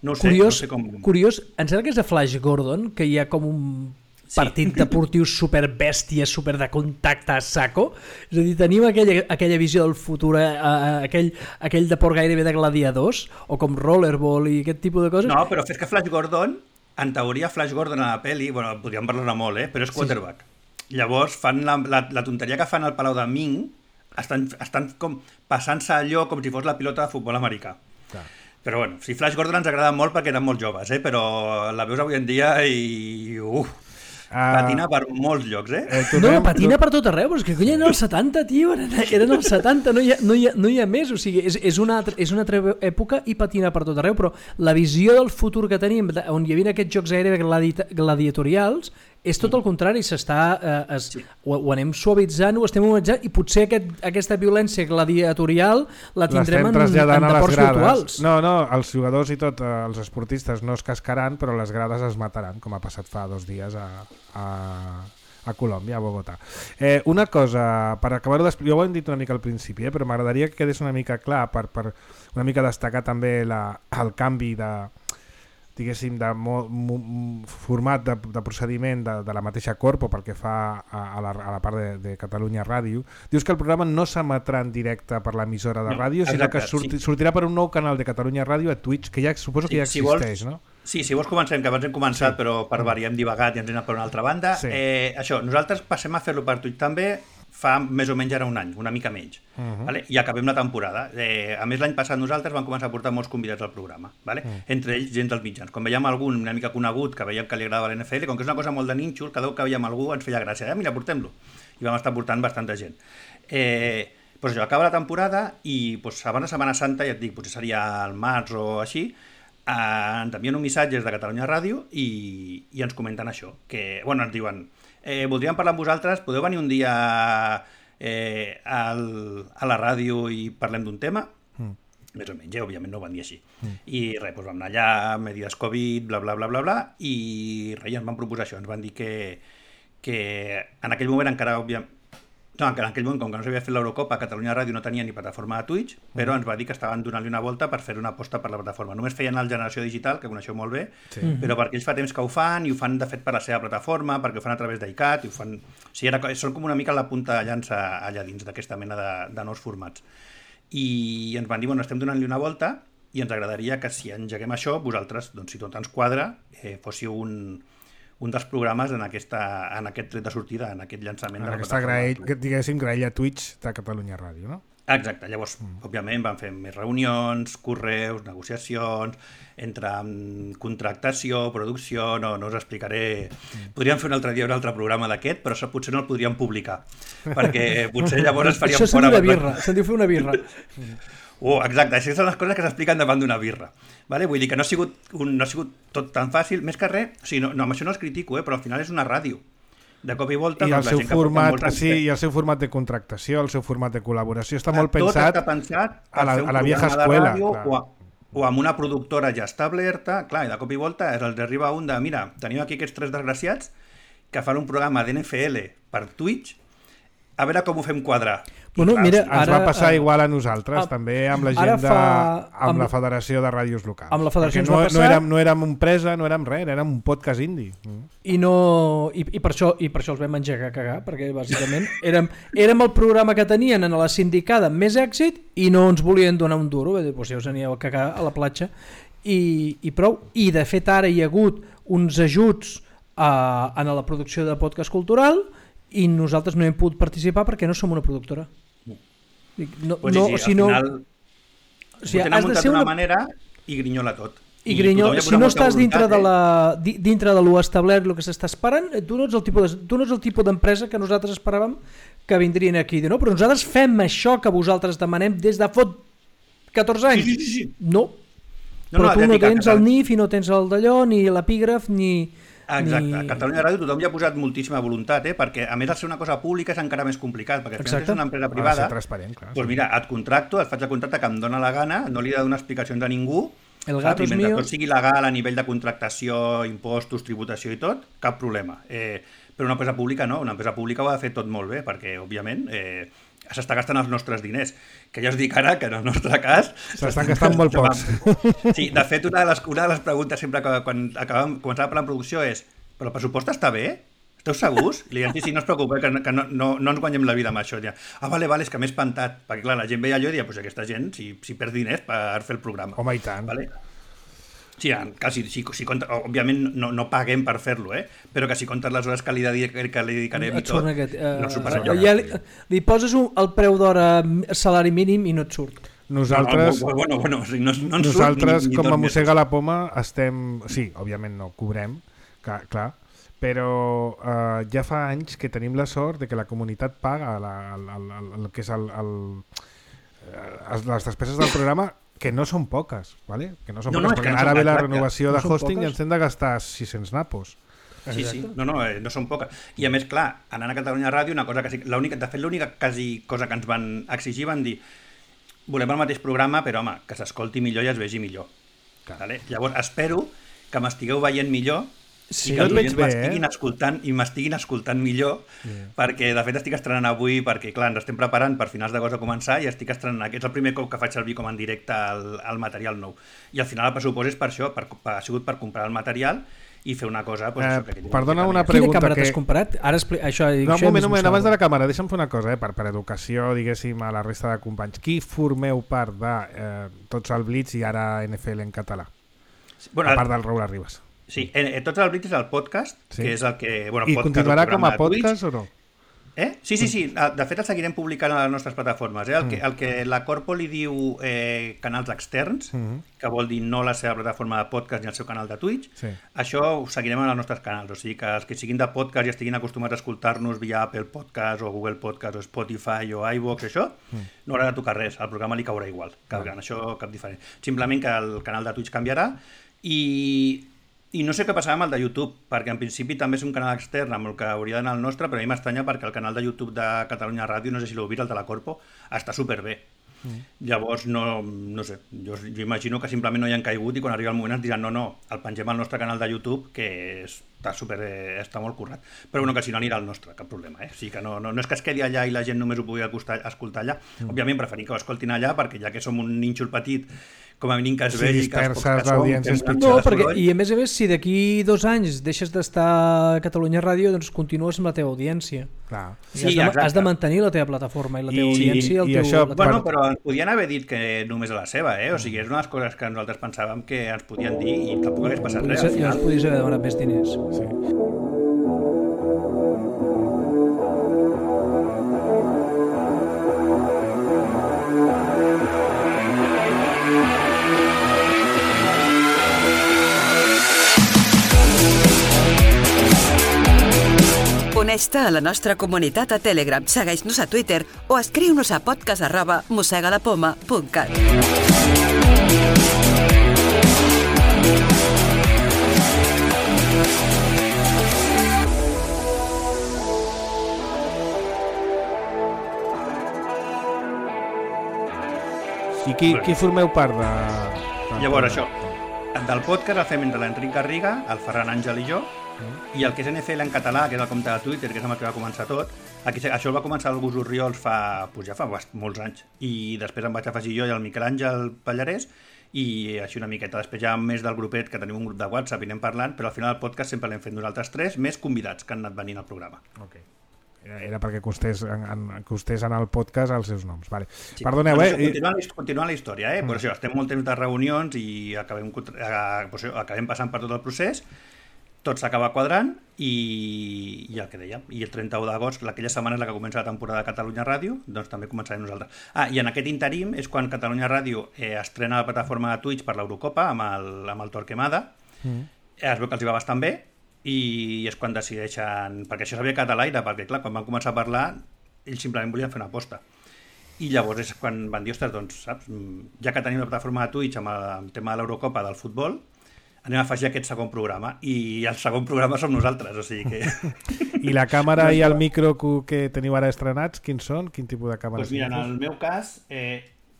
No ho sé, no sé com... Curiós, em sembla que és de Flash Gordon, que hi ha com un partit deportiu superbèstia, super de contacte a saco. És a dir, tenim aquella visió del futur, aquell deport gairebé de gladiadors, o com rollerball i aquest tipus de coses. No, però fes que Flash Gordon, en teoria Flash Gordon a la pel·li, bueno, podríem parlar-ne molt, però és quarterback. Sí. Llavors fan la tonteria que fan al Palau de Ming, estan com passant-se allò com si fos la pilota de futbol americà. Clar. Però bueno, sí, Flash Gordon ens agrada molt perquè eren molt joves, però la veus avui en dia i... patina per molts llocs, patina per tot arreu, però és que eren els 70, tio, eren els 70, no hi ha més, o sigui, és una altra època i patina per tot arreu, però la visió del futur que tenim, on hi havia aquests jocs gairebé gladiatorials, és tot el contrari, ho anem suavitzant, ho estem humanitzant, i potser aquesta violència gladiatorial la tindrem en deports virtuals. No, els jugadors i tot, els esportistes no es cascaran, però les grades es mataran, com ha passat fa 2 dies a Colòmbia, a Bogotà. Una cosa, per acabar-ho d'explicar, ja ho hem dit una mica al principi, però m'agradaria que quedés una mica clar, per una mica destacar també el canvi diguéssim, de format de procediment de la mateixa Corpo pel que fa a la part de Catalunya Ràdio, dius que el programa no s'emetrà en directe per l'emissora de ràdio, sinó que sortirà per un nou canal de Catalunya Ràdio a Twitch, que ja suposo que ja existeix, no? Sí, si vols comencem, que abans hem començat, però per variar hem divagat i ens hem anat per una altra banda. Això, nosaltres passem a fer-lo per Twitch també fa més o menys ara un any, una mica menys, i acabem la temporada. A més, l'any passat nosaltres vam començar a portar molts convidats al programa, entre ells gent dels mitjans. Quan veiem algun una mica conegut que veiem que li agradava l'NFL, com que és una cosa molt de nínxol, cada cop que veiem algú ens feia gràcia, mira, portem-lo. I vam estar portant bastanta gent. Doncs això, acaba la temporada i abans de Setmana Santa, ja et dic, potser seria al març o així, ens envien un missatge de Catalunya Ràdio i ens comenten això, que, bueno, ens diuen voldríem parlar amb vosaltres, podeu venir un dia a la ràdio i parlem d'un tema? Més o menys, òbviament no ho van dir així. I res, doncs vam anar allà, medides Covid, bla, bla, bla, bla, bla, i res, ens van proposar això, ens van dir que en aquell moment encara, òbviament, no, en aquell moment, com que no s'havia fet l'Eurocopa, Catalunya Ràdio no tenia ni plataforma de Twitch, però ens va dir que estaven donant-li una volta per fer una aposta per la plataforma. Només feien el Generació Digital, que coneixeu molt bé, però perquè ells fa temps que ho fan, i ho fan de fet per la seva plataforma, perquè ho fan a través d'ICAT, i ho fan... O sigui, són com una mica la punta de llança allà dins d'aquesta mena de nous formats. I ens van dir, bueno, estem donant-li una volta, i ens agradaria que si engeguem això, vosaltres, doncs, si tot ens quadra, fóssiu un dels programes en aquest tret de sortida, en aquest llançament de la plataforma. Diguéssim, graella Twitch de Catalunya Ràdio, no? Exacte, llavors, òbviament, van fer més reunions, correus, negociacions, entre contractació, producció, no us explicaré... Podríem fer un altre dia un altre programa d'aquest, però potser no el podríem publicar, perquè potser llavors es faríem fora... Això se'n diu una birra, se'n diu fer una birra. Exacte, això són les coses que s'expliquen davant d'una birra. Vull dir que no ha sigut tot tan fàcil, més que res, o sigui, no, amb això no els critico, però al final és una ràdio. De cop i volta... I el seu format, i el seu format de contractació, el seu format de col·laboració, està molt pensat, tot està pensat a la vieja escuela. O amb una productora ja establerta, clar, i de cop i volta els arriba un de, mira, tenim aquí aquests 3 desgraciats que fan un programa d'NFL per Twitch, a veure com ho fem quadrar. Bueno, mira, ens va passar igual a nosaltres, també amb la gent amb la Federació de Ràdios Locals. Amb la Federació ens va passar... No érem empresa, no érem res, érem un podcast indie. I per això els vam engegar a cagar, perquè bàsicament érem el programa que tenien en la sindicada amb més èxit i no ens volien donar un duro, doncs ja us aníeu a cagar a la platja i prou. I de fet ara hi ha hagut uns ajuts en la producció de podcast cultural i nosaltres no hem pogut participar perquè no som una productora. Al final ho tenen muntat d'una manera i grinyola tot. I grinyola, si no estàs dintre de lo establert, el que s'està esperant, tu no ets el tipus d'empresa que nosaltres esperàvem que vindrien aquí. No? Però nosaltres fem això que vosaltres demanem des de fot 14 anys. Sí. No. Però tu no tens el NIF i no tens el d'allò, ni l'epígraf, ni... Exacte, a Catalunya Ràdio tothom hi ha posat moltíssima voluntat, perquè a més de ser una cosa pública és encara més complicat, perquè si és una empresa privada, doncs mira, et contracto, et faig el contracte que em dóna la gana, no li he de donar explicacions a ningú, el gato és mentre mío. Tot sigui legal a nivell de contractació, impostos, tributació i tot, cap problema. Però una empresa pública no, una empresa pública ho ha de fer tot molt bé, perquè òbviament s'està gastant els nostres diners, que ja us dic ara que en el nostre cas s'estan gastant molt pocs. Sí, de fet una de les preguntes sempre que quan començava a parlar en producció és, però el pressupost està bé? Esteu segurs? I li diem, sí, no us preocupeu, que no ens guanyem la vida amb això. Vale, és que m'he espantat, perquè clar, la gent veia allò i deia, aquesta gent si perd diners per fer el programa. Home, i tant. Vale? Sí, si òbviament no paguem per fer-lo, però que si comptes les hores que li dedicarem i tot, no superarà. Ja li poses el preu d'hora salari mínim i no et surt. Nosaltres, nosaltres com a mossega la poma, estem... Sí, òbviament no cobrem, clar, però ja fa anys que tenim la sort de que la comunitat paga el que és les despeses del programa, que no són poques, ¿vale? Que no són poques, perquè ara ve la renovació de hosting i ens hem de gastar 600 napos. Sí, no són poques. I a més, clar, anant a Catalunya Ràdio, una cosa que de fet l'única cosa que ens van exigir, van dir, volem el mateix programa, però home, que s'escolti millor i es vegi millor. Vale? Llavors, espero que m'estigueu veient millor Sí, i que els oients m'estiguin escoltant millor, perquè de fet estic estrenant avui, perquè clar, ens estem preparant per finals d'agost a començar i estic estrenant, aquest és el primer cop que faig servir com en directe el material nou. I al final el pressupost és per això, ha sigut per comprar el material i fer una cosa... Perdona una pregunta. Quina càmera t'has comprat? Ara això, no, un moment, abans de la càmera, deixa'm fer una cosa, per educació, diguéssim, a la resta de companys. Qui formeu part de Tots al Blitz i ara NFL en català? A part del Raúl Arribas. Sí, Tots al Blitz és el podcast, que és el que... I continuarà com a podcast o no? Sí. De fet, el seguirem publicant a les nostres plataformes. El que la Corpo li diu canals externs, que vol dir no la seva plataforma de podcast ni el seu canal de Twitch, això ho seguirem en els nostres canals. O sigui que els que siguin de podcast i estiguin acostumats a escoltar-nos via Apple Podcast o Google Podcast o Spotify o iVoox, això, no haurà de tocar res. El programa li caurà igual. En això cap diferent. Simplement que el canal de Twitch canviarà i no sé què passarà amb el de YouTube, perquè en principi també és un canal extern amb el que hauria d'anar el nostre, però a mi m'estranya perquè el canal de YouTube de Catalunya Ràdio, no sé si l'heu vist, el de la Corpo, està superbé. Llavors, no sé, jo imagino que simplement no hi han caigut i quan arriba el moment ens diran no, el pengem al nostre canal de YouTube, que està molt currat. Però bueno, que si no anirà al nostre, cap problema. O sigui que no és que es quedi allà i la gent només ho pugui escoltar allà. Òbviament preferim que ho escoltin allà, perquè ja que som un nínxol petit, com a mínim que es vegi que els pocs que som... No, i a més, si d'aquí 2 anys deixes d'estar a Catalunya Ràdio, doncs continues amb la teva audiència. Clar. Has de mantenir la teva plataforma i la teva audiència. Bueno, però ens podien haver dit que només a la seva, O sigui, és una de les coses que nosaltres pensàvem que ens podien dir i tampoc hagués passat res. I ens podies haver demanat més diners. Sí. Uneix-te a la nostra comunitat a Telegram, segueix-nos a Twitter o escriu-nos a podcast@mossegalapoma.cat. I qui formeu part de... Llavors, això, del podcast el fem entre l'Enric Garriga, el Ferran Àngel i jo, i el que és NFL en català, que és el compte de Twitter, que és amb el que va començar tot, això el va començar el Gus Orriols ja fa molts anys, i després em vaig afegir jo i el Miquel Àngel Pallarès, i així una miqueta. Després ja més del grupet, que tenim un grup de WhatsApp i anem parlant, però al final el podcast sempre l'hem fet nosaltres 3, més convidats que han anat venint al programa. Ok. Era perquè costés en el podcast els seus noms. Vale. Sí. Perdoneu, Continuant la història, però això, estem molt temps de reunions i acabem passant per tot el procés, tot s'acaba quadrant i el que dèiem, i el 31 d'agost, aquella setmana és la que comença la temporada de Catalunya Ràdio, doncs també començarem nosaltres. I en aquest interim és quan Catalunya Ràdio estrena la plataforma de Twitch per l'Eurocopa amb el Torquemada, es veu que els hi va bastant bé, i és quan decideixen, perquè això s'havia quedat a l'aire, perquè clar, quan van començar a parlar ells simplement volien fer una aposta i llavors és quan van dir, ostres, doncs saps, ja que tenim la plataforma de Twitch amb el tema de l'Eurocopa del futbol, anem a afegir aquest segon programa, i el segon programa som nosaltres, o sigui que... I la càmera i el micro que teniu ara estrenats, quins són? Quin tipus de càmera? Doncs mira, en el meu cas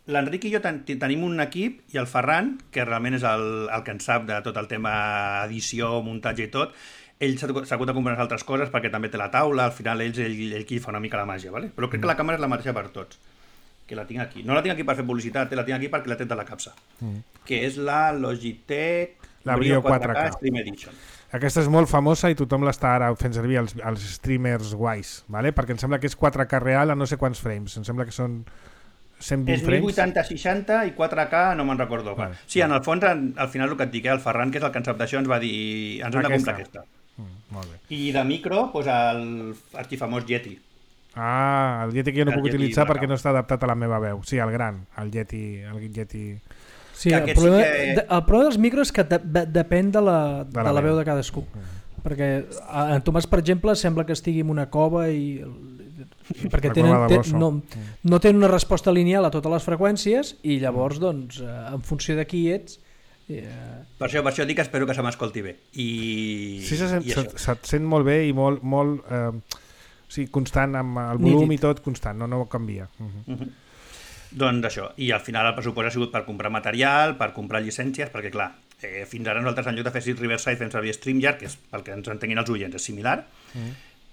l'Enric i jo tenim un equip, i el Ferran, que realment és el que en sap de tot el tema edició, muntatge i tot, ell s'ha hagut de comprar altres coses perquè també té la taula, al final ell qui fa una mica la màgia, ¿vale? Però crec que la càmera és la mateixa per tots, que la tinc aquí. No la tinc aquí per fer publicitat, la tinc aquí perquè la tret de la capsa, que és la Logitech Brio 4K Stream Edition. Aquesta és molt famosa i tothom l'està ara fent servir els streamers guais, ¿vale? Perquè em sembla que és 4K real a no sé quants frames, em sembla que són 120 frames. És 1080-60 i 4K, no me'n recordo. Vale. Sí, en el fons, al final el que et dic, el Ferran, que és el que en sap d'això, ens va dir ens hem de comprar aquesta. Molt bé. I de micro, doncs el arxifamós Yeti. El Yeti que jo no puc utilitzar perquè no està adaptat a la meva veu. Sí, el gran, el Yeti. Sí, el problema dels micros és que depèn de la veu de cadascú. Perquè en Tomàs, per exemple, sembla que estigui en una cova i perquè no tenen una resposta lineal a totes les freqüències i llavors, doncs, en funció de qui ets... Per això dic que espero que se m'escolti bé. Sí, se't sent molt bé i molt constant, amb el volum i tot constant, no canvia. Doncs això, i al final el pressupost ha sigut per comprar material, per comprar llicències, perquè clar, Fins ara nosaltres, en lloc de fer Riverside, fem servir StreamYard, que és pel que ens entenguin els oients, és similar,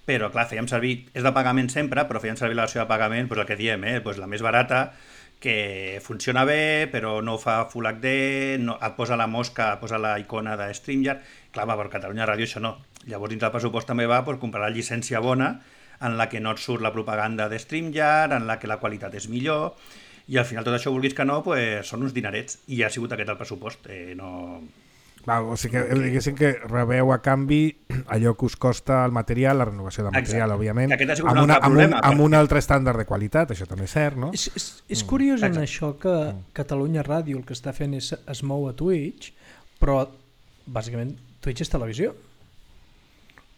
però clar, fèiem servir, és de pagament sempre, però fèiem servir la versió de pagament, doncs el que diem, la més barata, que funciona bé, però no fa Full HD, no, et posa la mosca, et posa la icona de StreamYard. Clar, per Catalunya Ràdio això no. Llavors, dins del pressupost també va comprar la llicència bona, en la que no et surt la propaganda de StreamYard, en la que la qualitat és millor, i al final tot això, vulguis que no, són uns dinerets, i ha sigut aquest el pressupost. O sigui que diguéssim que rebeu a canvi allò que us costa el material, la renovació de material, òbviament, amb un altre estàndard de qualitat, això també és cert, no? És curiós en això que Catalunya Ràdio el que està fent es mou a Twitch, però bàsicament Twitch és televisió.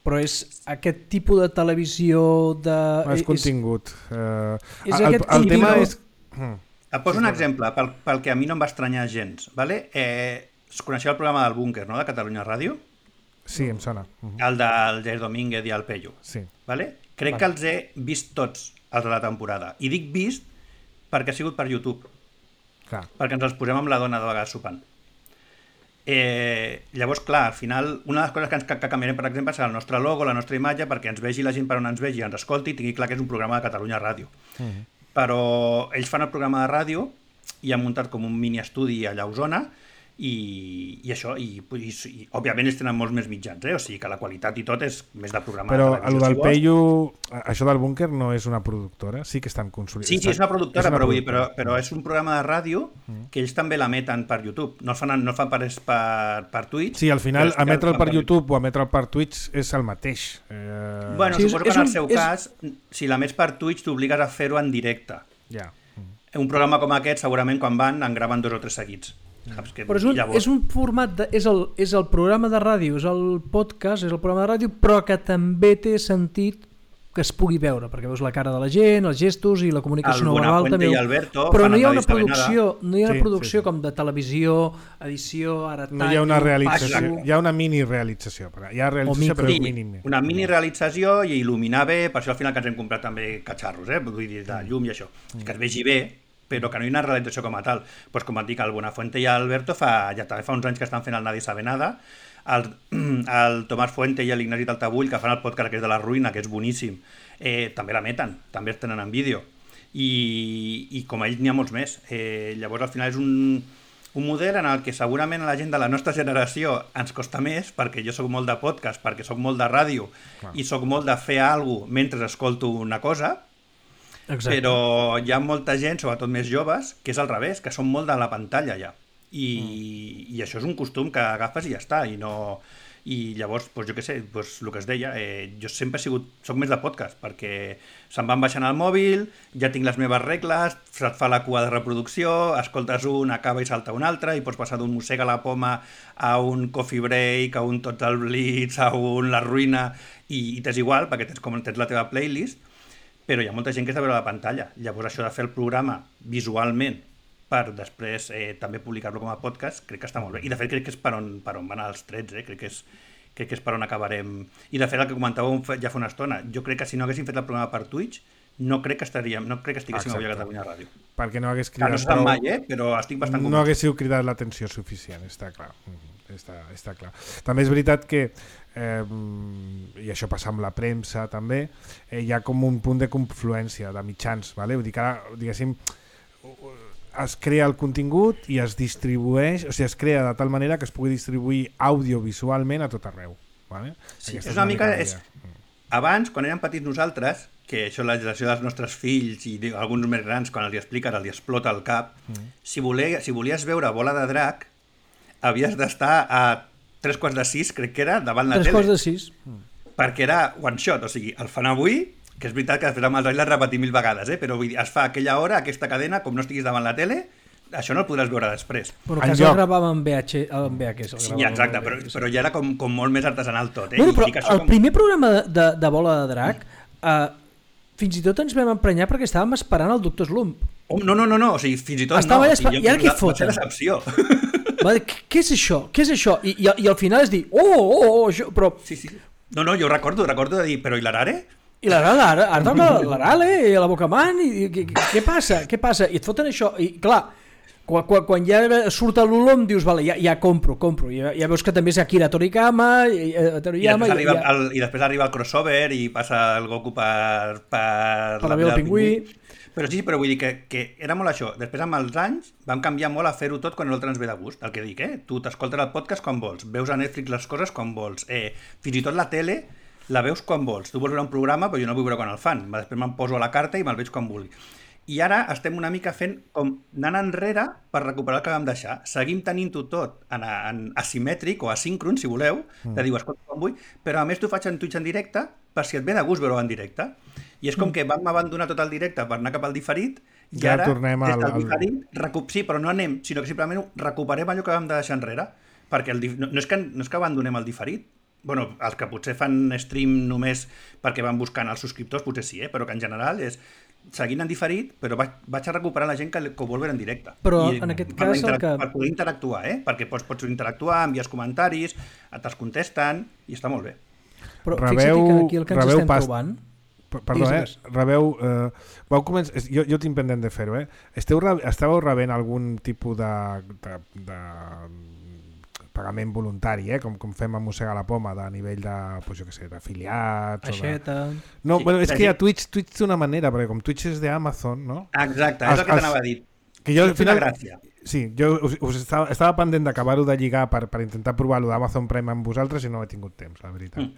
Però és aquest tipus de televisió de... És contingut. El tema és... Et poso un exemple, pel que a mi no em va estranyar gens, ¿vale? Coneixeu el programa del Búnquer, no?, de Catalunya Ràdio? Sí, em sona. El del Jair Domínguez i el Pello. Sí. ¿Vale? Crec que els he vist tots, els de la temporada. I dic vist perquè ha sigut per YouTube. Clar. Perquè ens els posem amb la dona de vegades sopant. Llavors, clar, al final, una de les coses que canviarem, per exemple, serà el nostre logo, la nostra imatge, perquè ens vegi la gent per on ens vegi, ens escolti i tingui clar que és un programa de Catalunya Ràdio. Però ells fan el programa de ràdio i han muntat com un mini estudi allà a Osona, i això, i òbviament ells tenen molts més mitjans, o sigui que la qualitat i tot és més de programa però de televisió. Però el del Pello, això del Búnquer no és una productora? Sí que estan consolidats. Sí, és una productora, però és un programa de ràdio que ells també l'emeten per YouTube, no el fan per Twitch. Sí, al final emetre'l per YouTube o emetre'l per Twitch és el mateix. Bueno, suposo que en el seu cas, si l'emets per Twitch t'obligues a fer-ho en directe. Ja. Un programa com aquest, segurament quan van en graven 2 o 3 seguits. Però és un format és el programa de ràdio, és el podcast, és el programa de ràdio, però que també té sentit que es pugui veure, perquè veus la cara de la gent, els gestos i la comunicació no verbal també. Però no hi ha una producció com de televisió, edició, ara no hi ha una realització, hi ha una mini realització, hi ha realització però és mínim. Una mini realització i il·luminar bé, per això al final que ens hem comprat també catxarros, vull dir, de llum i això, que es vegi bé, però que no hi ha una realització com a tal. Pues com et dic, el Buenafuente i l'Alberto ja també fa uns anys que estan fent el Nadie sabe nada, el Tomàs Fuente i l'Ignasi Taltabull, que fan el podcast que és de la ruïna, que és boníssim, també l'emeten, també es tenen en vídeo, i com a ells n'hi ha molts més. Llavors al final és un model en el que segurament a la gent de la nostra generació ens costa més, perquè jo sóc molt de podcast, perquè sóc molt de ràdio, i sóc molt de fer alguna cosa mentre escolto una cosa. Exacte. Però hi ha molta gent, sobretot més joves, que és al revés, que són molt de la pantalla ja. I això és un costum que agafes i ja està. I llavors, doncs, jo què sé, doncs, el que es deia, jo sempre soc més de podcast, perquè se'm van baixant al mòbil, ja tinc les meves regles, se't fa la cua de reproducció, escoltes un, acaba i salta un altre, i pots passar d'un mossega la poma a un coffee break, a un Total Blitz, a un La Ruïna, i t'és igual, perquè tens la teva playlist, però hi ha molta gent que és de veure la pantalla. Llavors això de fer el programa visualment per després també publicar-lo com a podcast, crec que està molt bé. I de fet crec que és per on van els trets, crec que és per on acabarem. I de fet el que comentàvem ja fa una estona, jo crec que si no haguéssim fet el programa per Twitch, no crec que estiguéssim avui a Catalunya Ràdio. Perquè no hagués cridat... No se sap mai, però estic bastant convençut. No haguéssiu cridat l'atenció suficient, està clar. Està clar. També és veritat que i això passa amb la premsa també, hi ha com un punt de confluència de mitjans, vale? Vull dir que ara, diguéssim, es crea el contingut i es distribueix, o sigui, es crea de tal manera que es pugui distribuir audiovisualment a tot arreu, vale? Sí, és una mica... Abans, quan érem petits nosaltres, que això la generació dels nostres fills i alguns més grans, quan els expliques, els explota el cap, si volies veure Bola de Drac, havies d'estar a 3:45, crec que era, davant la tele. 3:46. Perquè era one shot, o sigui, el fan avui, que és veritat que després amb els anys l'has repetit 1000 vegades, però vull dir, es fa aquella hora, aquesta cadena, com no estiguis davant la tele, això no el podràs veure després. Però que es gravava en VHS. Sí, exacte, però ja era com molt més artesanal tot. Bueno, però el primer programa de Bola de Drac, fins i tot ens vam emprenyar perquè estàvem esperant el Dr. Slump. No, o sigui, fins i tot no. I ara què foten? Va ser decepció. Què és això? I al final és dir, això, però... Sí. No, jo recordo de dir, però i l'Arare? I l'Arale, i la Bocaman, i què passa? I et foten això, i clar, Quan ja surt l'olom dius, vale, ja compro. Ja veus que també és Akira Toriyama, i després arriba el crossover i passa el Goku per la veu del pingüí. Però sí, però vull dir que era molt això. Després, amb els anys, vam canviar molt a fer-ho tot quan l'altre ens ve de gust. El que dic, tu t'escoltes el podcast quan vols, veus a Netflix les coses quan vols, fins i tot la tele la veus quan vols. Tu vols veure un programa, però jo no vull veure quan el fan. Després me'n poso a la carta i me'l veig quan vulgui. I ara estem una mica fent com anant enrere per recuperar el que vam deixar. Seguim tenint-ho tot en asimètric o asíncron, si voleu, de dir, escolta, quan vull, però a més t'ho faig en Twitch en directe per si et ve de gust veure-ho en directe. I és com que vam abandonar tot el directe per anar cap al diferit i ja ara, tornem des del diferit, sí, però no anem, sinó que simplement recuperem allò que vam deixar enrere. Perquè no és que abandonem el diferit. Bueno, els que potser fan stream només perquè van buscant els subscriptors, potser sí, però que en general és seguint en diferit, però vaig a recuperar la gent que ho vol veure en directe. Però en aquest cas per poder interactuar, perquè pots interactuar, envies comentaris, te'ls contesten i està molt bé. Però fixa't que aquí el que ens estem trobant... Perdó, rebeu... Vau començar... Jo tinc pendent de fer-ho, Estàveu rebent algun tipus de pagament voluntari, com fem a Mossegar la Poma, de nivell de, jo què sé, d'afiliats... Aixeta... No, bueno, és que a Twitch té una manera, perquè com Twitch és d'Amazon, no? Exacte, és el que t'anava a dir. Que jo, al final, gràcia. Sí, jo estava pendent d'acabar-ho de lligar per intentar provar-ho d'Amazon Prime amb vosaltres i no he tingut temps, la veritat.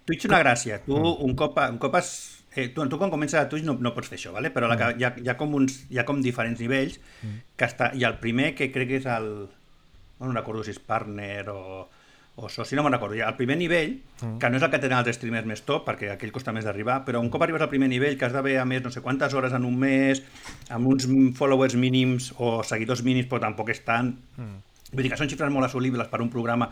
Twitch una gràcia. Tu, un cop has... tu quan comences a Twitch no pots fer això, ¿vale? Però hi ha com diferents nivells que està... I el primer, que crec que és el... No recordo si és partner o soci, no me'n recordo. El primer nivell, que no és el que tenen els streamers més top, perquè aquell costa més d'arribar, però un cop arribes al primer nivell, que has d'haver a més no sé quantes hores en un mes, amb uns followers mínims o seguidors mínims, però tampoc és tant... Vull dir que són xifres molt assolibles per un programa.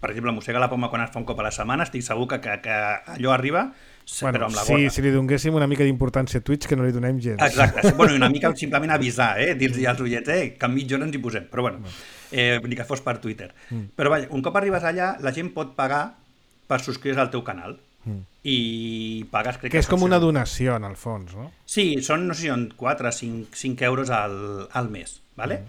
Per exemple, Mossega la Poma, quan es fa un cop a la setmana, estic segur que allò arriba, però amb la gota. Si li donéssim una mica d'importància a Twitch, que no li donem gens. Exacte, bueno, una mica simplement avisar, dir-los als ullets, que en mitja hora ens hi posem, però bueno, ni que fos per Twitter. Però vaja, un cop arribes allà, la gent pot pagar per subscriure's al teu canal. I pagues, crec que és com una donació, en el fons, no? Sí, són, no sé si són 4 o 5 euros al mes, ¿vale?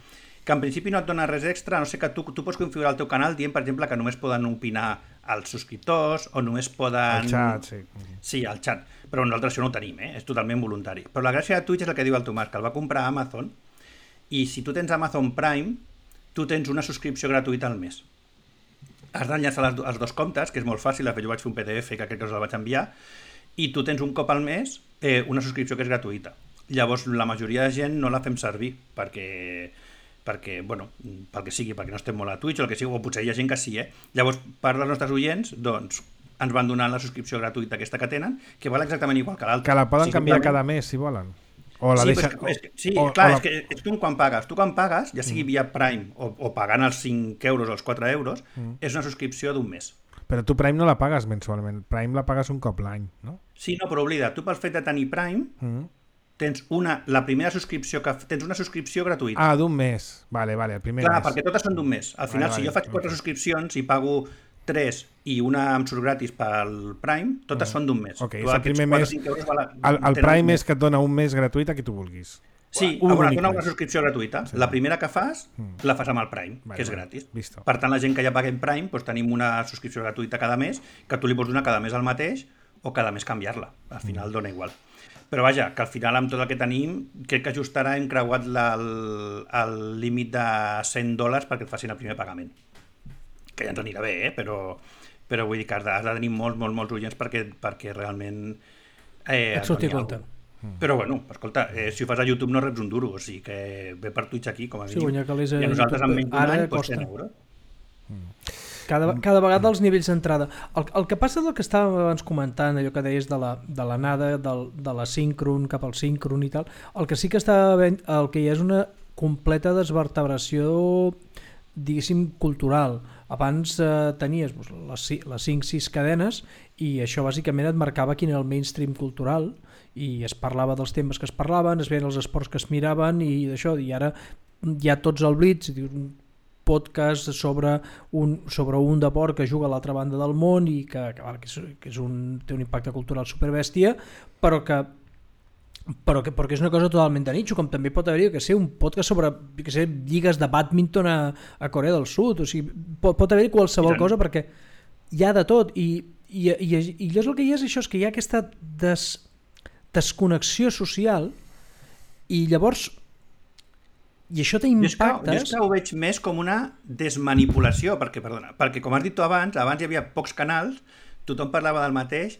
Que en principi no et dona res extra, no sé que tu pots configurar el teu canal dient, per exemple, que només poden opinar els subscriptors o només poden... El xat, sí. Sí, el xat. Però nosaltres això no ho tenim, és totalment voluntari. Però la gràcia de Twitch és el que diu el Tomàs, que el va comprar a Amazon, i si tu tens Amazon Prime, tu tens una subscripció gratuïta al mes. Has d'enllaçar els dos comptes, que és molt fàcil, de fet jo vaig fer un PDF que crec que us el vaig enviar, i tu tens un cop al mes una subscripció que és gratuïta. Llavors la majoria de gent no la fem servir, perquè, bueno, pel que sigui, perquè no estem molt a Twitch o el que sigui, o potser hi ha gent que sí, Llavors, part dels nostres oients, doncs, ens van donar la subscripció gratuïta aquesta que tenen, que val exactament igual que l'altra. Que la poden canviar cada mes, si volen. O la deixen... és que quan pagues. Tu quan pagues, ja sigui via Prime o pagant els 5 euros o els 4 euros, és una subscripció d'un mes. Però tu Prime no la pagues mensualment, Prime la pagues un cop l'any, no? Sí, no, però oblida, tu pel fet de tenir Prime... tens la primera subscripció tens una subscripció gratuïta. Ah, d'un mes. Vale, el primer mes. Clar, perquè totes són d'un mes. Al final, si jo faig 4 subscripcions i pago 3 i una em surt gratis pel Prime, totes són d'un mes. Ok, és el primer mes. El Prime és que et dona un mes gratuït a qui tu vulguis. Sí, et dona una subscripció gratuïta. Sí. La primera que fas, la fas amb el Prime, que és gratis. Visto. Per tant, la gent que ja paguem Prime, doncs tenim una subscripció gratuïta cada mes, que tu li pots donar cada mes el mateix o cada mes canviar-la. Al final dona igual. Però vaja, que al final amb tot el que tenim, crec que just ara hem creuat el límit de $100 perquè et facin el primer pagament. Que ja ens anirà bé, però vull dir que has de tenir molts oients perquè realment et surti compte. Però bueno, escolta, si ho fas a YouTube no reps un duro, o sigui que ve per Twitch aquí, com a mínim. I a nosaltres amb menys d'un any, doncs 100 euros. Cada vegada els nivells d'entrada. El que passa del que estàvem abans comentant, allò que deies de l'anada, de la síncron cap al síncron i tal, el que sí que el que hi ha és una completa desvertebració, diguéssim, cultural. Abans tenies les 5-6 cadenes i això bàsicament et marcava quin era el mainstream cultural i es parlava dels temes que es parlaven, es veien els esports que es miraven i d'això, i ara hi ha tots al Blitz, podcast sobre un deport que juga a l'altra banda del món i que té un impacte cultural superbèstia, però que perquè és una cosa totalment de nicho, com també pot haver un podcast sobre lligues de bàdminton a Corea del Sud, o sigui, pot haver qualsevol cosa perquè hi ha de tot i és el que hi ha és això, és que hi ha aquesta desconnexió social i llavors això té impactes... Jo és que ho veig més com una desmanipulació, perquè com has dit tu abans hi havia pocs canals, tothom parlava del mateix,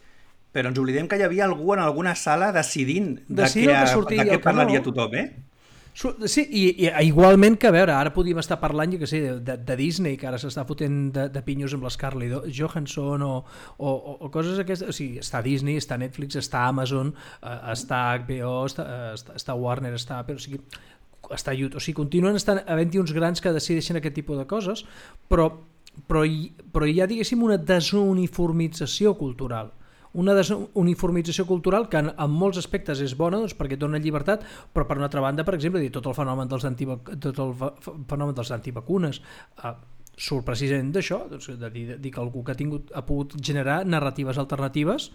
però ens oblidem que hi havia algú en alguna sala decidint de què parlaria tothom, Sí, i igualment que, a veure, ara podríem estar parlant, jo què sé, de Disney, que ara s'està fotent de pinyos amb l'Scarlett Johansson o coses aquestes, o sigui, està Disney, està Netflix, està Amazon, està HBO, està Warner, està YouTube, o sigui, continuen havent-hi uns grans que decideixen aquest tipus de coses, però hi ha, diguéssim, una desuniformització cultural. Una desuniformització cultural que en molts aspectes és bona, doncs, perquè dona llibertat, però per una altra banda, per exemple, tot el fenomen dels antivacunes surt precisament d'això, doncs, de dir que algú que ha pogut generar narratives alternatives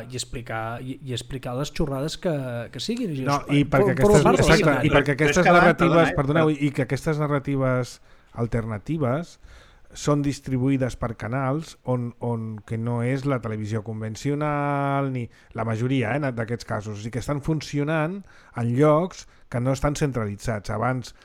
i explicar les xorrades que siguin. I perquè aquestes narratives, perdoneu, i que aquestes narratives alternatives són distribuïdes per canals on que no és la televisió convencional, ni la majoria d'aquests casos, o sigui que estan funcionant en llocs que no estan centralitzats. Abans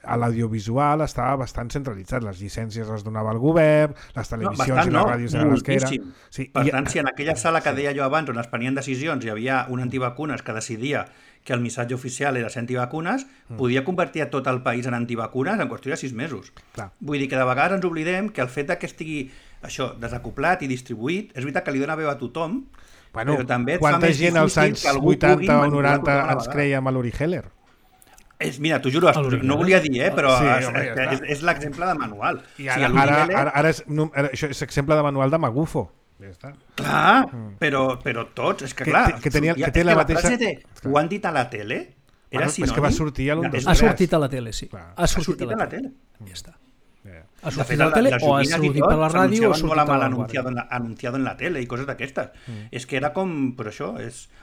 a l'audiovisual estava bastant centralitzat, les llicències les donava el govern, les televisions i les ràdios eren les que eren. Sí, per tant, si en aquella sala que deia jo abans on es prenien decisions hi havia un antivacunes que decidia que el missatge oficial era ser antivacunes, podia convertir a tot el país en antivacunes en qüestió de 6 mesos. Clar. Vull dir que de vegades ens oblidem que el fet que estigui això desacoplat i distribuït, és veritat que li dona veu a tothom, però també quanta gent als anys 80 o 90 ens creiem a l'Uri Geller? Mira, t'ho juro, no volia dir, però és l'exemple de manual. I ara això és exemple de manual de Magufo. Ja està. Clar, però tots, és que clar, que té la mateixa... frase de ho han dit a la tele era sinònim. És que va sortir a l'1, 2, 3. Ha sortit a la tele, sí. Ha sortit a la tele. Ja està. Ha sortit a la tele o ha sortit per la ràdio o ha sortit a la anunciado en la tele i coses d'aquestes. És que era com, però això,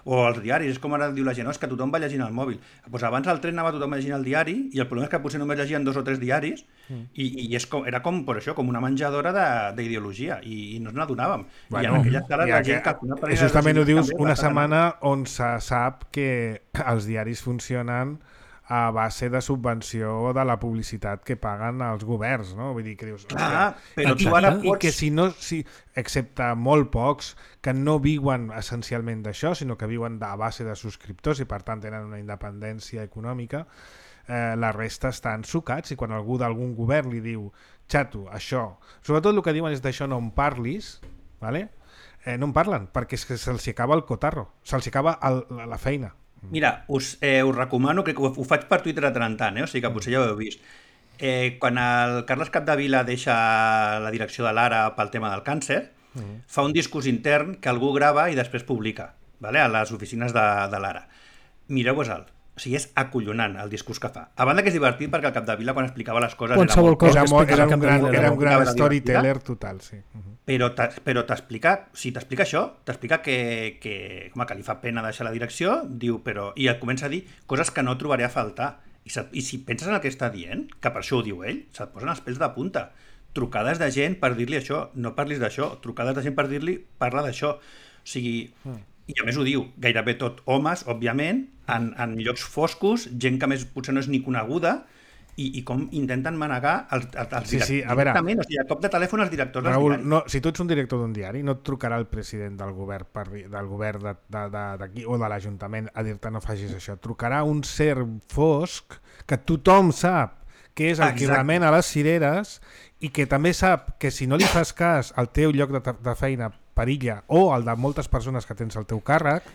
o els diaris, és com ara diu la gent, és que tothom va llegint al mòbil. Pues abans al tren anava tothom llegint el diari i el problema és que potser només llegien 2 o 3 diaris i era com, per això, com una menjadora d'ideologia i no ens n'adonàvem. I en aquella sala la gent calculava... Justament ho dius una setmana on se sap que els diaris funcionen a base de subvenció de la publicitat que paguen els governs, no? Vull dir que dius... Clar, però tu ara pots... I que si no, excepte molt pocs, que no viuen essencialment d'això, sinó que viuen a base de subscriptors i per tant tenen una independència econòmica, la resta estan sucats i quan algú d'algun govern li diu xato, això... Sobretot el que diuen és d'això no en parlis, ¿vale? No en parlen, perquè és que se'ls acaba el cotarro, se'ls acaba la feina. Mira, us recomano, que ho faig per Twitter de tant en tant, o sigui que potser ja ho heu vist. Quan el Carles Capdevila deixa la direcció de l'Ara pel tema del càncer, fa un discurs intern que algú grava i després publica, a les oficines de l'Ara. Mireu-vos-el. O sigui, és acollonant el discurs que fa. A banda que és divertit perquè el Capdevila quan explicava les coses era un gran storyteller total, sí. Però t'explica això, t'explica que li fa pena deixar la direcció, diu, i et comença a dir coses que no trobaré a faltar. I si penses en el que està dient, que per això ho diu ell, se't posen els pèls de punta. Trucades de gent per dir-li això, no parlis d'això, trucades de gent per dir-li, parla d'això. O sigui, i a més ho diu, gairebé tot homes, òbviament, en llocs foscos, gent que més potser no és ni coneguda, i com intenten manegar els directors. Sí, a veure, o sigui, a cop de telèfon els directors Raül, dels diaris. Si tu ets un director d'un diari, no et trucarà el president del govern d'aquí o de l'Ajuntament a dir-te no facis això. Et trucarà un ser fosc que tothom sap que és el que remena les cireres i que també sap que si no li fas cas al teu lloc de feina perilla o al de moltes persones que tens al teu càrrec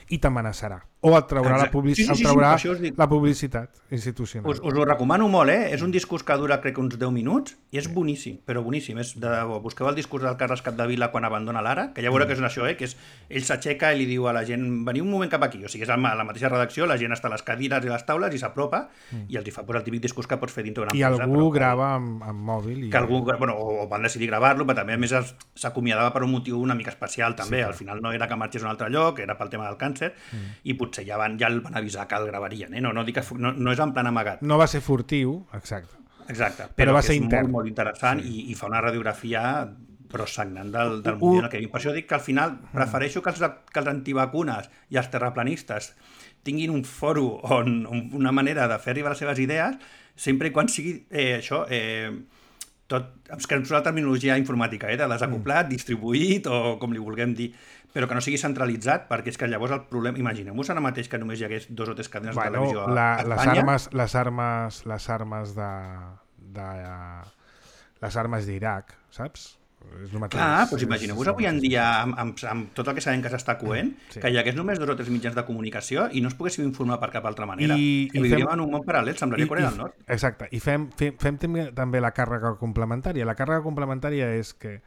i t'amenaçarà. O et traurà la publicitat institucional. Us ho recomano molt, És un discurs que dura, crec, uns 10 minuts i és boníssim, però boníssim. Busqueu el discurs del Carles Capdevila quan abandona l'Ara, que ja veureu que és això, que és ell s'aixeca i li diu a la gent, veniu un moment cap aquí. O sigui, és a la mateixa redacció, la gent està a les cadires i les taules i s'apropa i els hi fa el típic discurs que pots fer dintre d'una empresa. I algú grava amb mòbil. O van decidir gravar-lo, però també a més s'acomiadava per un motiu una mica especial també. Al final no era que marxés a un altre lloc, era pel tema del càncer i potser potser ja el van avisar que el gravarien, no dic que no és en plan amagat. No va ser furtiu, exacte. Exacte, però va que ser és intern. molt interessant i fa una radiografia però sagnant del moment en el que vivim. Per això dic que al final prefereixo que els antivacunes i els terraplanistes tinguin un foro on una manera de fer arribar les seves idees, sempre i quan sigui això, tot, és que és una terminologia informàtica, de desacoplat, distribuït o com li vulguem dir, però que no sigui centralitzat, perquè és que llavors el problema... Imagineu-vos ara mateix que només hi hagués 2 o 3 cadenes de televisió a Espanya. Les armes d'Iraq, saps? És el mateix. Clar, doncs imagineu-vos avui en dia, amb tot el que sabem que s'està coent, que hi hagués només 2 o 3 mitjans de comunicació i no es poguéssim informar per cap altra manera. Que vivíem en un món paral·lel, semblaria Corea del Nord. Exacte, i fem també la càrrega complementària. La càrrega complementària és que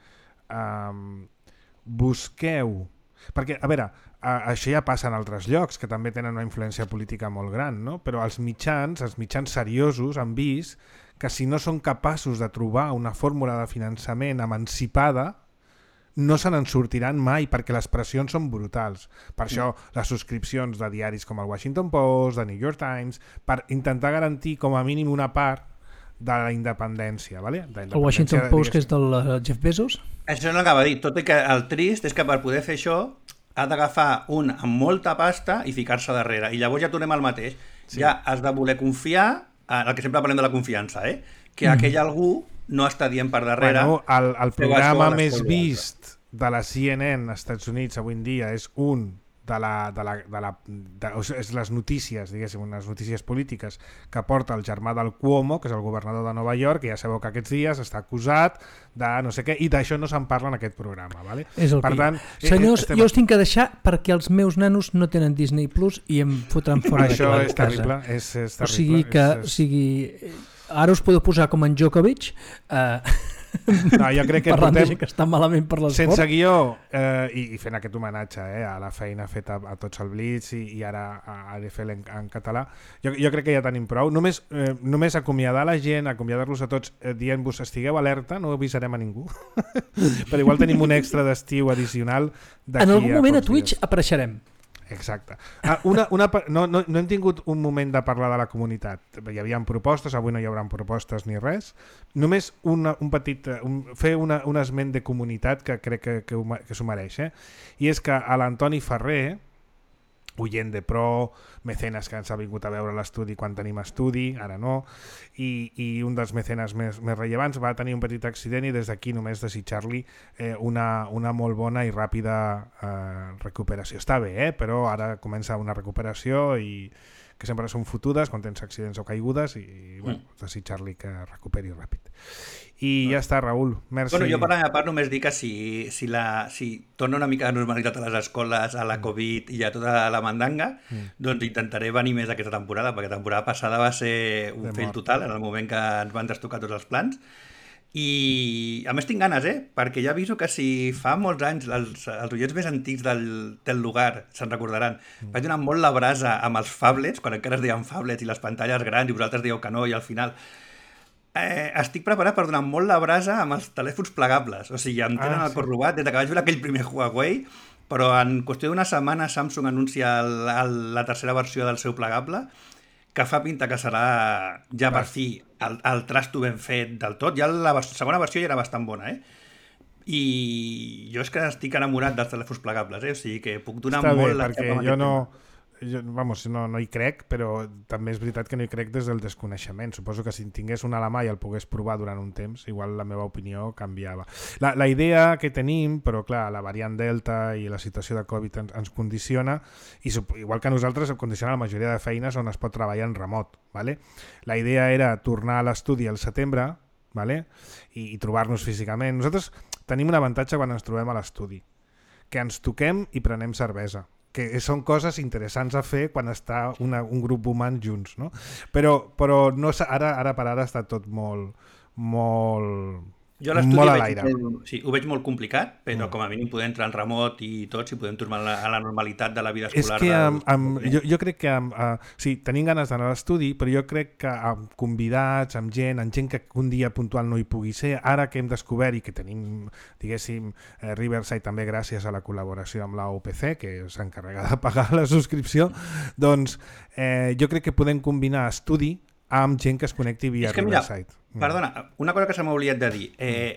busqueu... Perquè, a veure, això ja passa en altres llocs, que també tenen una influència política molt gran, no? Però els mitjans seriosos han vist que si no són capaços de trobar una fórmula de finançament emancipada, no se n'en sortiran mai, perquè les pressions són brutals. Per això les subscripcions de diaris com el Washington Post, de New York Times, per intentar garantir com a mínim una part de la independència, ¿vale? El Washington Post, que és del Jeff Bezos? Això no l'acaba de dir. Tot i que el trist és que per poder fer això ha d'agafar un amb molta pasta i ficar-se darrere. I llavors ja tornem al mateix. Sí. Ja has de voler confiar, el que sempre parlem de la confiança, que aquell algú no està dient per darrere... Bueno, el programa més vist de la CNN als Estats Units avui en dia és un és les notícies, diguéssim, unes notícies polítiques que porta el germà del Cuomo, que és el governador de Nova York, que ja sabeu que aquests dies està acusat de no sé què, i d'això no se'n parla en aquest programa, ¿vale? És el per tant, senyors, jo us tinc que deixar perquè els meus nanos no tenen Disney Plus i em fotran fora de casa. Això és terrible, és terrible. O sigui que, ara us podeu posar com en Djokovic, no, jo crec que parlant de gent que està malament per l'esport. Sense guió i fent aquest homenatge a la feina feta a tots el Blitz i ara a ADFL en català, jo crec que ja tenim prou. Només acomiadar la gent, acomiadar-los a tots dient-vos estigueu alerta, no avisarem a ningú però igual tenim un extra d'estiu addicional d'aquí en algun moment a dies. Twitch apareixerem. Exacte. No hem tingut un moment de parlar de la comunitat. Hi havia propostes, avui no hi haurà propostes ni res. Només fer un esment de comunitat que crec que s'ho mereix. I és que a l'Antoni Ferrer, oient de pro, mecenes que ens ha vingut a veure l'estudi quan tenim estudi, ara no, i un dels mecenes més rellevants va tenir un petit accident i des d'aquí només desitjar-li una molt bona i ràpida recuperació. Està bé, però ara comença una recuperació i que sempre són fotudes quan tens accidents o caigudes i desitjar-li que recuperi ràpid. I ja està, Raül. Merci. Bueno, jo per la meva part només dic que si torna una mica de normalitat a les escoles, a la Covid i a tota la mandanga, doncs intentaré venir més aquesta temporada, perquè la temporada passada va ser un fail total en el moment que ens van destocar tots els plans. I a més tinc ganes, perquè ja aviso que si fa molts anys els oients més antics del lugar se'n recordaran, vaig donar molt la brasa amb els phablets, quan encara es deien phablets i les pantalles grans i vosaltres dieu que no i al final estic preparat per donar molt la brasa amb els telèfons plegables, o sigui, em tenen el cor robat des que vaig veure aquell primer Huawei, però en qüestió d'una setmana Samsung anuncia la tercera versió del seu plegable, que fa pinta que serà ja per fi el trasto ben fet del tot. Ja la segona versió ja era bastant bona, i jo és que estic enamorat dels telèfons plegables, o sigui que puc donar molt la xapa amb aquest tema. No hi crec, però també és veritat que no hi crec des del desconeixement. Suposo que si en tingués una a la mà i el pogués provar durant un temps, igual la meva opinió canviava. La idea que tenim, però clar, la variant Delta i la situació de Covid ens condiciona, i igual que a nosaltres condiciona la majoria de feines on es pot treballar en remot. ¿Vale? La idea era tornar a l'estudi al setembre, ¿vale? i trobar-nos físicament. Nosaltres tenim un avantatge quan ens trobem a l'estudi, que ens toquem i prenem cervesa, que són coses interessants a fer quan està un grup humà junts, no? Però no, ara per ara està tot molt Jo l'estudi ho veig molt complicat, però com a mínim poder entrar en remot i tot, si podem tornar a la normalitat de la vida escolar. És que jo crec que sí, tenim ganes d'anar a l'estudi, però jo crec que amb convidats, amb gent que un dia puntual no hi pugui ser, ara que hem descobert i que tenim, diguéssim, Riverside també gràcies a la col·laboració amb la UPC, que s'encarrega de pagar la subscripció, doncs jo crec que podem combinar estudi amb gent que es connecti via Riverside. Perdona, una cosa que se m'ha oblidat de dir.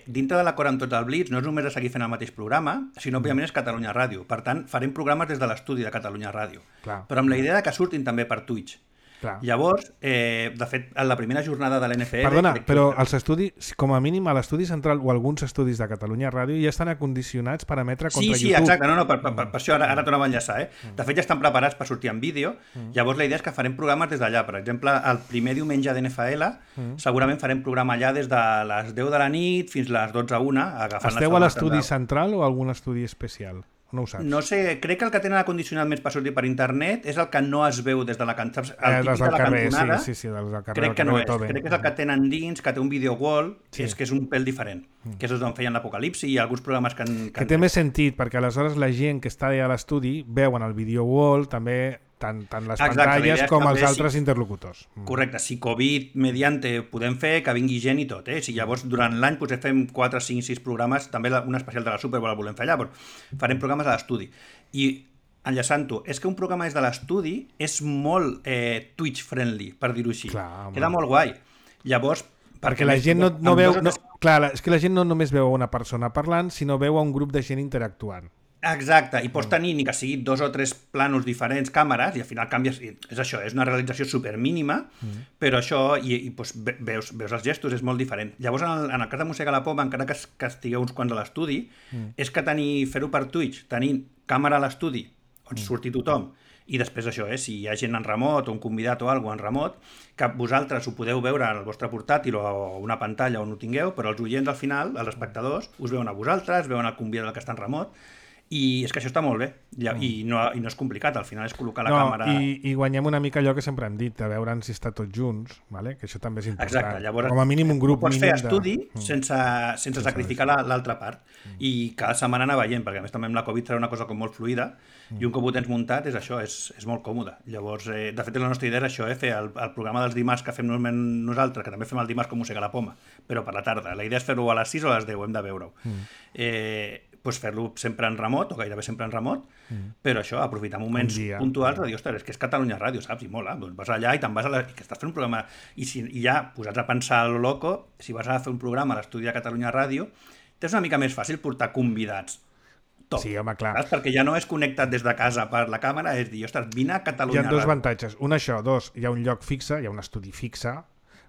Dintre de l'acord amb tot el Blitz no és només de seguir fent el mateix programa, sinó òbviament és Catalunya Ràdio. Per tant, farem programes des de l'estudi de Catalunya Ràdio. Clar. Però amb la idea de que surtin també per Twitch. Clar. Llavors, de fet, en la primera jornada de l'NFL... Perdona, però els estudis, com a mínim a l'estudi central o alguns estudis de Catalunya Ràdio ja estan acondicionats per emetre contra YouTube. Sí, exacte, per això ara tornava a enllaçar. De fet, ja estan preparats per sortir en vídeo, llavors la idea és que farem programes des d'allà. Per exemple, el primer diumenge d'NFL segurament farem programa allà des de les 10 de la nit fins les 12 a 1. Esteu a l'estudi central o algun estudi especial? No ho saps. No sé, crec que el que tenen acondicionat més per sortir per internet és el que no es veu des de la cantonada. Dels del carrer, sí, dels del carrer. Crec que no és. Crec que és el que tenen dins, que té un video wall, és que és un pèl diferent. Que és on feien l'Apocalipsi i alguns programes que té més sentit, perquè aleshores la gent que està allà a l'estudi veuen el video wall també tant les pantalles com els altres interlocutors. Correcte, si Covid mediante podem fer que vingui gent i tot, si llavors durant l'any potser fem 4, 5, 6 programes, també un especial de la Super Bowl el volem fer allà, però farem programes a l'estudi. I enllaçant-ho, és que un programa des de l'estudi és molt Twitch friendly, per dir-ho així. Queda molt guai. Llavors, perquè la gent no veu... Clar, és que la gent no només veu una persona parlant, sinó veu un grup de gent interactuant. Exacte, i pots tenir ni que sigui 2 o 3 planos diferents, càmeres, i al final canvies... És això, és una realització supermínima, però això, i doncs veus els gestos, és molt diferent. Llavors, en el cas de Mossega la Poma, encara que estigueu uns quants a l'estudi, és que fer-ho per Twitch, tenir càmera a l'estudi, on surti tothom, i després això, si hi ha gent en remot o un convidat o alguna cosa en remot, que vosaltres ho podeu veure al vostre portàtil o una pantalla on ho tingueu, però els oients al final, els espectadors, us veuen a vosaltres, veuen el convidat que està en remot, i és que això està molt bé i no és complicat, al final és col·locar la càmera i guanyem una mica allò que sempre hem dit, de veure si està tots junts, vale? Que això també és important. Exacte, llavors, com a mínim un grup pots fer estudi sense sacrificar l'altra part i cada setmana anar veient, perquè a més també amb la Covid serà una cosa com molt fluida i un cop ho tens muntat és això, és molt còmode. Llavors, de fet la nostra idea és això, fer el programa dels dimarts que fem normalment nosaltres, que també fem el dimarts com Mossega la Poma, però per la tarda. La idea és fer-ho a les 6 o a les 10, hem de veure-ho. Doncs fer-lo sempre en remot, o gairebé sempre en remot, però això, aprofitar moments puntuals de dir, ostres, és que és Catalunya Ràdio, saps? I mola, doncs vas allà i te'n vas i que estàs fent un programa, i ja posats a pensar a lo loco, si vas a fer un programa a l'estudi de Catalunya Ràdio, és una mica més fàcil portar convidats. Top. Sí, home, clar. Saps? Perquè ja no és connectat des de casa per la càmera, és dir, ostres, vine a Catalunya Ràdio. Hi ha dos avantatges. Un, això. Dos, hi ha un lloc fixe, hi ha un estudi fixe,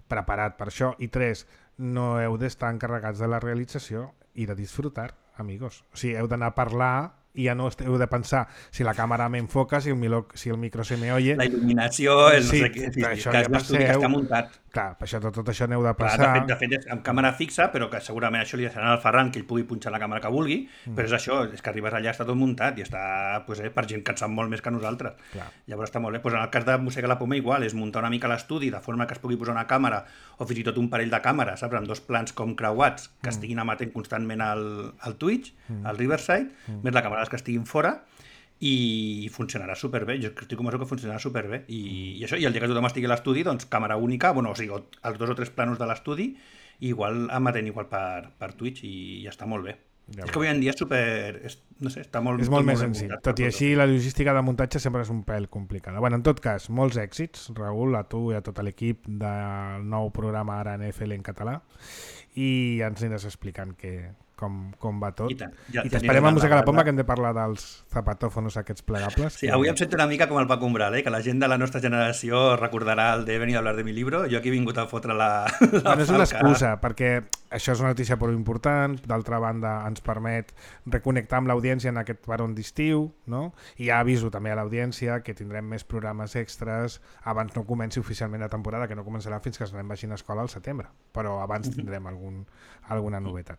preparat per això. I tres, no heu d'estar encarregats de la realització i de disfrutar, amigos. O sigui, heu d'anar a parlar i ja no heu de pensar si la càmera m'enfoca, si el micro se me oye. La il·luminació, no sé què, que és un estudi que està muntat. Clar, per això tot això n'heu de passar. Clar, de fet és amb càmera fixa, però que segurament això li deixaran al Ferran que ell pugui punxar la càmera que vulgui, però és això, és que arribes allà, està tot muntat i està per gent que en sap molt més que nosaltres. Clar. Llavors està molt bé. En el cas de Mossega la Poma igual, és muntar una mica l'estudi de forma que es pugui posar una càmera o fins i tot un parell de càmeres, saps? Amb 2 plans com creuats que estiguin emetent constantment al Twitch, al Riverside, més la càmera que estiguin fora, i funcionarà superbé, jo estic convençut que funcionarà superbé i això, i el dia que tothom estigui a l'estudi, doncs càmera única, o sigui, els 2 o 3 planos de l'estudi igual emetent igual per Twitch i ja està molt bé. Ja és que avui en dia és super... no sé, està molt... És molt més senzill. Tot i així, la logística de muntatge sempre és un pèl complicada. Bueno, en tot cas, molts èxits, Raül, a tu i a tot l'equip del nou programa ara NFL en català, i ja ens aniràs explicant com va tot. I t'esperem a Mossega la Poma, que hem de parlar dels zapatòfonos aquests plegables. Sí, avui em sento una mica com el Paco Umbral, que la gent de la nostra generació recordarà el de venir a hablar de mi libro. Jo aquí he vingut a fotre la bueno, és una excusa, perquè això és una notícia prou important, d'altra banda ens permet reconnectar amb l'audiència en aquest peron d'estiu, no? I ja aviso també a l'audiència que tindrem més programes extras abans no comenci oficialment la temporada, que no començarà fins que ens anem vagin a escola al setembre, però abans tindrem alguna novetat.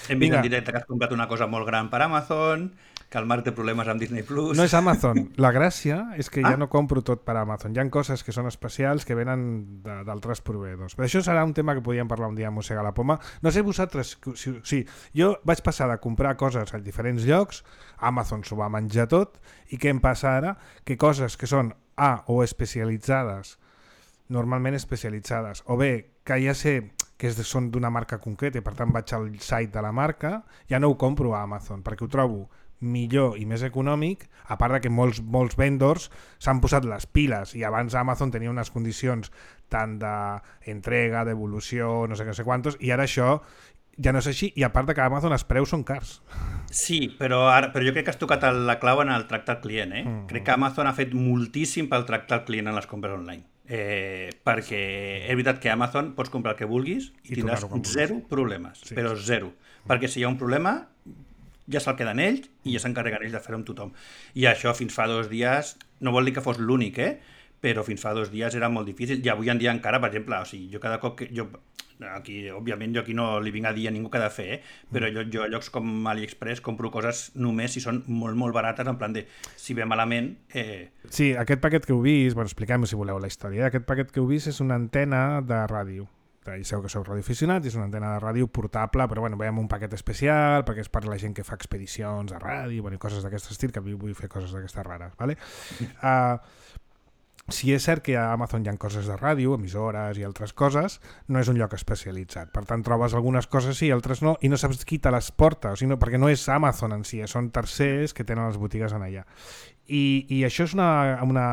Hem vist en directe que has comprat una cosa molt gran per Amazon, que el Marc té problemes amb Disney+. No és Amazon. La gràcia és que ja no compro tot per Amazon. Hi ha coses que són especials que venen d'altres proveïdors. Però això serà un tema que podíem parlar un dia a Mossega la Poma, No sé vosaltres... Sí, jo vaig passar de comprar coses a diferents llocs, Amazon s'ho va menjar tot, i què em passa ara? Que coses que són o especialitzades, normalment especialitzades, o bé que ja sé que són d'una marca concreta i per tant vaig al site de la marca, ja no ho compro a Amazon perquè ho trobo millor i més econòmic, a part de que molts vendors s'han posat les piles i abans Amazon tenia unes condicions tant d'entrega, d'evolució, no sé quantos, i ara això ja no és així, i a part de que a Amazon els preus són cars. Sí, però jo crec que has tocat la clau en el tracte al client. Crec que Amazon ha fet moltíssim pel tracte al client en les compres online. Perquè és veritat que a Amazon pots comprar el que vulguis i tindràs zero problemes, sí. Però zero. Perquè si hi ha un problema ja se'l queden ells i ja s'encarreguen ells de fer-ho amb tothom. I això fins fa 2 dies, no vol dir que fos l'únic, però fins fa 2 dies era molt difícil i avui en dia encara, per exemple, o sigui, jo cada cop que... òbviament jo aquí no li vinc a dir a ningú què ha de fer, però jo a llocs com AliExpress compro coses només si són molt, molt barates, en plan de, si ve malament... Sí, aquest paquet que heu vist, bueno, expliquem-ho si voleu la història, aquest paquet que heu vist és una antena de ràdio. Ja sabeu que sou radioaficionats, és una antena de ràdio portable, però bueno, veiem un paquet especial perquè és per la gent que fa expedicions a ràdio, bueno, i coses d'aquest estil, que a mi vull fer coses d'aquestes rares, ¿vale? Si és cert que a Amazon hi ha coses de ràdio, emissores i altres coses, no és un lloc especialitzat. Per tant, trobes algunes coses sí i altres no, i no saps qui te les porta, o sigui, no, perquè no és Amazon en si, són tercers que tenen les botigues en allà. I això és una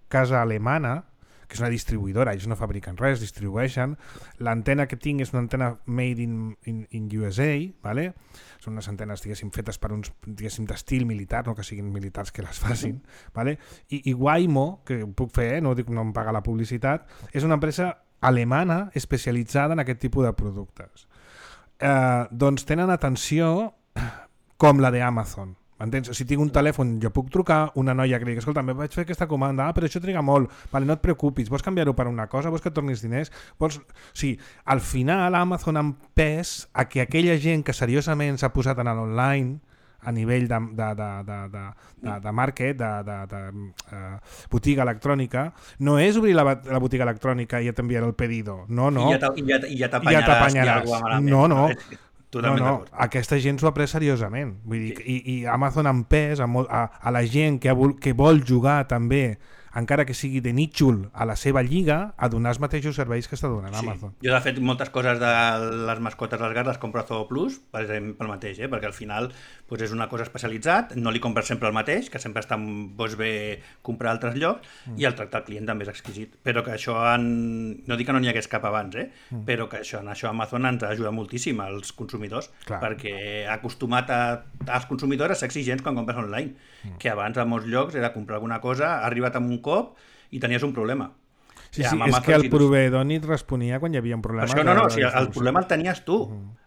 casa alemana, que és una distribuïdora, ells no fabriquen res, distribueixen. L'antena que tinc és una antena made in USA, ¿vale? Són unes antenes, diguéssim, fetes per uns, diguéssim, d'estil militar, no que siguin militars que les facin, ¿vale? I Waymo, que puc fer, no dic no em paga la publicitat, és una empresa alemana especialitzada en aquest tipus de productes. Doncs tenen atenció com la d'Amazon. M'entens? Si tinc un telèfon, jo puc trucar una noia que li dic, escolta, vaig fer aquesta comanda, però això triga molt, vale, no et preocupis, vols canviar-ho per una cosa, vols que et tornis diners? O sigui, al final Amazon ha empès a que aquella gent que seriosament s'ha posat en l'online a nivell de market, de botiga electrònica, no és obrir la botiga electrònica i ja t'enviaré el pedido, no. I ja t'apanyaràs. No. No, aquesta gent s'ho ha pres seriosament. Vull dir, i Amazon ha empès a la gent que vol jugar també, encara que sigui de nítxol a la seva lliga, a donar els mateixos serveis que està donant Amazon. Jo, de fet, moltes coses de les mascotes dels gats les compro a Zoo Plus, per exemple, pel mateix, perquè al final doncs és una cosa especialitzat, no li compres sempre el mateix, que sempre està bé comprar a altres llocs, i el tracte al client també és exquisit. Però que això, no dic que no n'hi hagués cap abans, però que això Amazon ens ajuda moltíssim als consumidors, perquè ha acostumat als consumidors a ser exigents quan compres online, que abans a molts llocs era comprar alguna cosa, ha arribat amb un cop i tenies un problema. Sí, és que el proveïdor ni et responia quan hi havia un problema. Això no, el problema el tenies tu.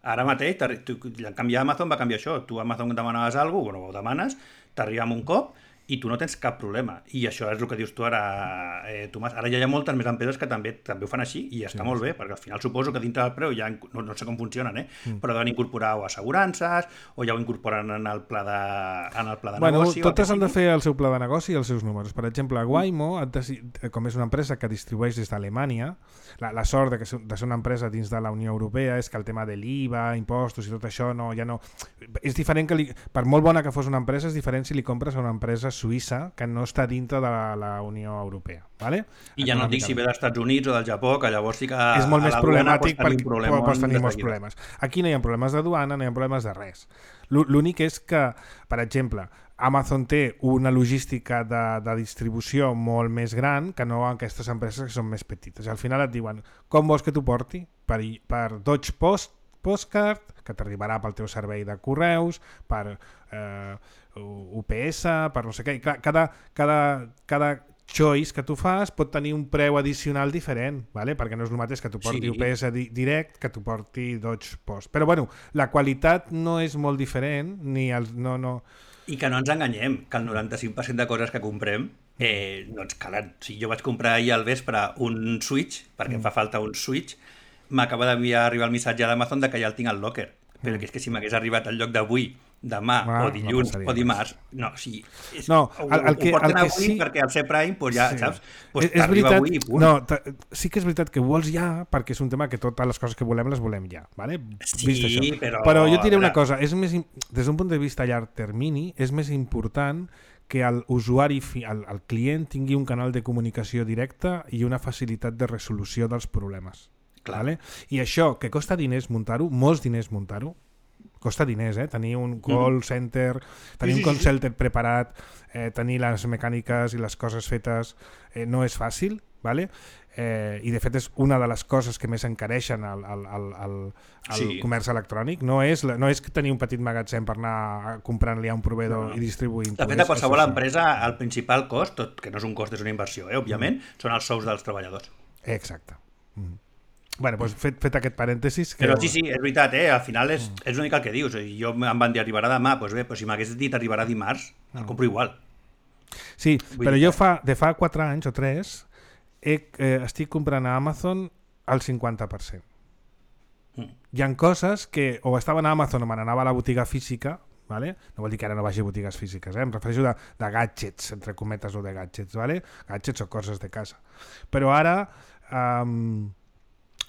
Ara mateix, canviar Amazon va canviar això. Tu a Amazon demanaves alguna cosa, ho demanes, t'arriba amb un cop i tu no tens cap problema. I això és el que dius tu ara, Tomàs. Ara ja hi ha moltes més empreses que també ho fan així i està molt bé, perquè al final suposo que dintre del preu ja no sé com funcionen, però deuen incorporar o assegurances o ja ho incorporen en el pla de negoci. Totes han de fer el seu pla de negoci i els seus números. Per exemple, Waymo, com és una empresa que distribueix des d'Alemanya, la sort de ser una empresa dins de la Unió Europea és que el tema de l'IVA, impostos i tot això ja no... És diferent que per molt bona que fos una empresa, és diferent si li compres a una empresa suïssa que no està dintre de la Unió Europea. ¿Vale? I ja no et dic si ve dels Estats Units o del Japó, que llavors sí que és molt més problemàtic perquè pots tenir molts problemes. Aquí no hi ha problemes de duana, no hi ha problemes de res. L'únic és que, per exemple, Amazon té una logística de distribució molt més gran que no aquestes empreses que són més petites. Al final et diuen, com vols que t'ho porti? Per Dodge Postcard, que t'arribarà pel teu servei de correus, per UPS, per no sé què. Cada choice que tu fas pot tenir un preu addicional diferent, ¿vale? Perquè no és el mateix que t'ho porti UPS direct que t'ho porti Dodge Post. Però bueno, la qualitat no és molt diferent, ni no... I que no ens enganyem, que el 95% de coses que comprem no ens calen. Si jo vaig comprar ahir al vespre un Switch, perquè em fa falta un Switch, m'acaba d'arribar el missatge d'Amazon que ja el tinc al locker. però que és que si m'hagués arribat al lloc d'avui, demà o dilluns o dimarts, no, o sigui, ho porten avui sí, perquè al ser Prime, doncs ja, saps? Doncs t'arriba avui i punt. No, sí que és veritat que ho vols ja, perquè és un tema que totes les coses que volem les volem ja, ¿vale? Sí, però jo et diré una cosa, és més, des d'un punt de vista a llarg termini, és més important que l'usuari, el client tingui un canal de comunicació directa i una facilitat de resolució dels problemes. ¿Vale? I això, que costa diners muntar-ho, molts diners muntar-ho, costa diners, tenir un call center, tenir un call center preparat, tenir les mecàniques i les coses fetes, no és fàcil, ¿vale? I de fet és una de les coses que més encareixen el comerç electrònic, no és tenir un petit magatzem per anar comprant-li a un proveïdor i distribuint. De fet, a qualsevol empresa, el principal cost, tot que no és un cost, és una inversió, òbviament, són els sous dels treballadors. Exacte. Bueno, doncs fet aquest parèntesis... Però sí, és veritat, al final és una mica el que dius. Jo em van dir arribarà demà, doncs bé, si m'hagués dit arribarà dimarts, el compro igual. Sí, però jo de fa 4 anys o 3 estic comprant a Amazon al 50%. Hi ha coses que o estaven a Amazon o me n'anava a la botiga física, ¿vale? No vol dir que ara no vagi a botigues físiques, em refereixo de gadgets, entre cometes, o de gadgets, ¿vale? Gadgets o coses de casa. Però ara...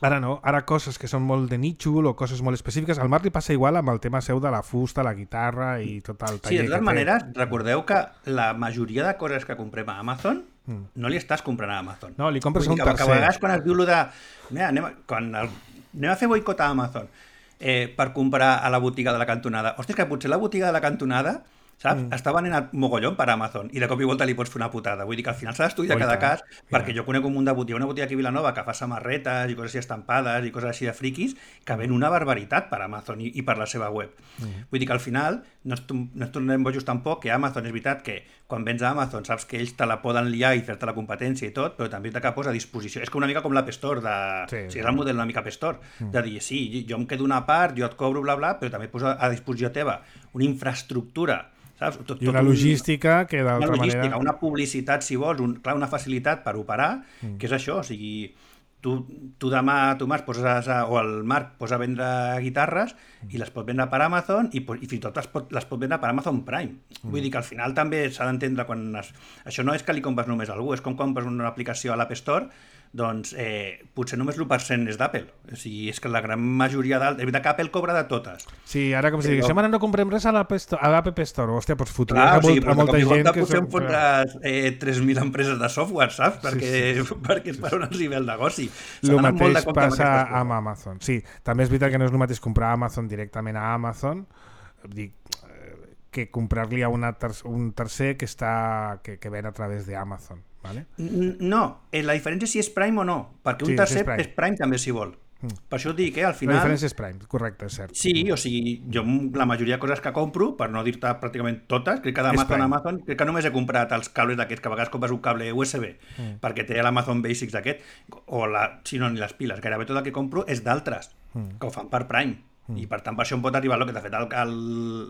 Ara no, ara coses que són molt de nítxol o coses molt específiques. Al Marc li passa igual amb el tema seu de la fusta, la guitarra i tot el taller. Sí, de totes maneres, recordeu que la majoria de coses que comprem a Amazon no li estàs comprant a Amazon. No, li compres a un tercer. Que a vegades quan es diu allò de... Mira, anem a fer boicot a Amazon per comprar a la botiga de la cantonada. Hòstia, que potser la botiga de la cantonada... saps? Està venent mogollon per Amazon i de cop i volta li pots fer una putada. Vull dir que al final s'ha d'estudiar cada cas, perquè jo conec un munt de botiga, una botiga aquí a Vilanova que fa samarretes i coses així estampades i coses així de friquis que ven una barbaritat per Amazon i per la seva web. Vull dir que al final no es tornem bojos tampoc, que Amazon és veritat que quan vens a Amazon saps que ells te la poden liar i fer-te la competència i tot, però també que posa a disposició. És com una mica com l'App Store, o sigui, és el model una mica App Store, de dir, sí, jo em quedo una part, jo et cobro, bla, bla, però també posa a disposició teva una infraestructura, saps? I una logística que d'altra manera... Una publicitat, si vols, una facilitat per operar, que és això, o sigui, tu demà, tu Marc, o el Marc posa a vendre guitarres i les pot vendre per Amazon i fins i tot les pot vendre per Amazon Prime. Vull dir que al final també s'ha d'entendre quan... Això no és que li compres només a algú, és com compres una aplicació a l'App Store, doncs potser només l'1% és d'Apple. O sigui, és que la gran majoria és veritat que Apple cobra de totes. Sí, ara com si digués, ara no comprem res a l'App Store. Hòstia, doncs fotries a molta gent que... Potser em fotràs 3.000 empreses de software, saps? Perquè és per on els hi ve el negoci. El mateix passa amb Amazon. Sí, també és veritat que no és el mateix comprar Amazon directament a Amazon, que comprar-li a un tercer que ven a través d'Amazon. ¿Vale? No, la diferència és si és Prime o no, perquè un tercer és Prime també si vol. Per això et dic, al final... La diferència és Prime, correcte, és cert. Sí, o sigui, jo la majoria de coses que compro, per no dir-te pràcticament totes, crec que d'Amazon, crec que només he comprat els cables d'aquests, que a vegades compres un cable USB, perquè té l'Amazon Basics d'aquest, o si no, ni les piles, gairebé tot el que compro és d'altres, que ho fan per Prime. I per tant per això em pot arribar el Locker. De fet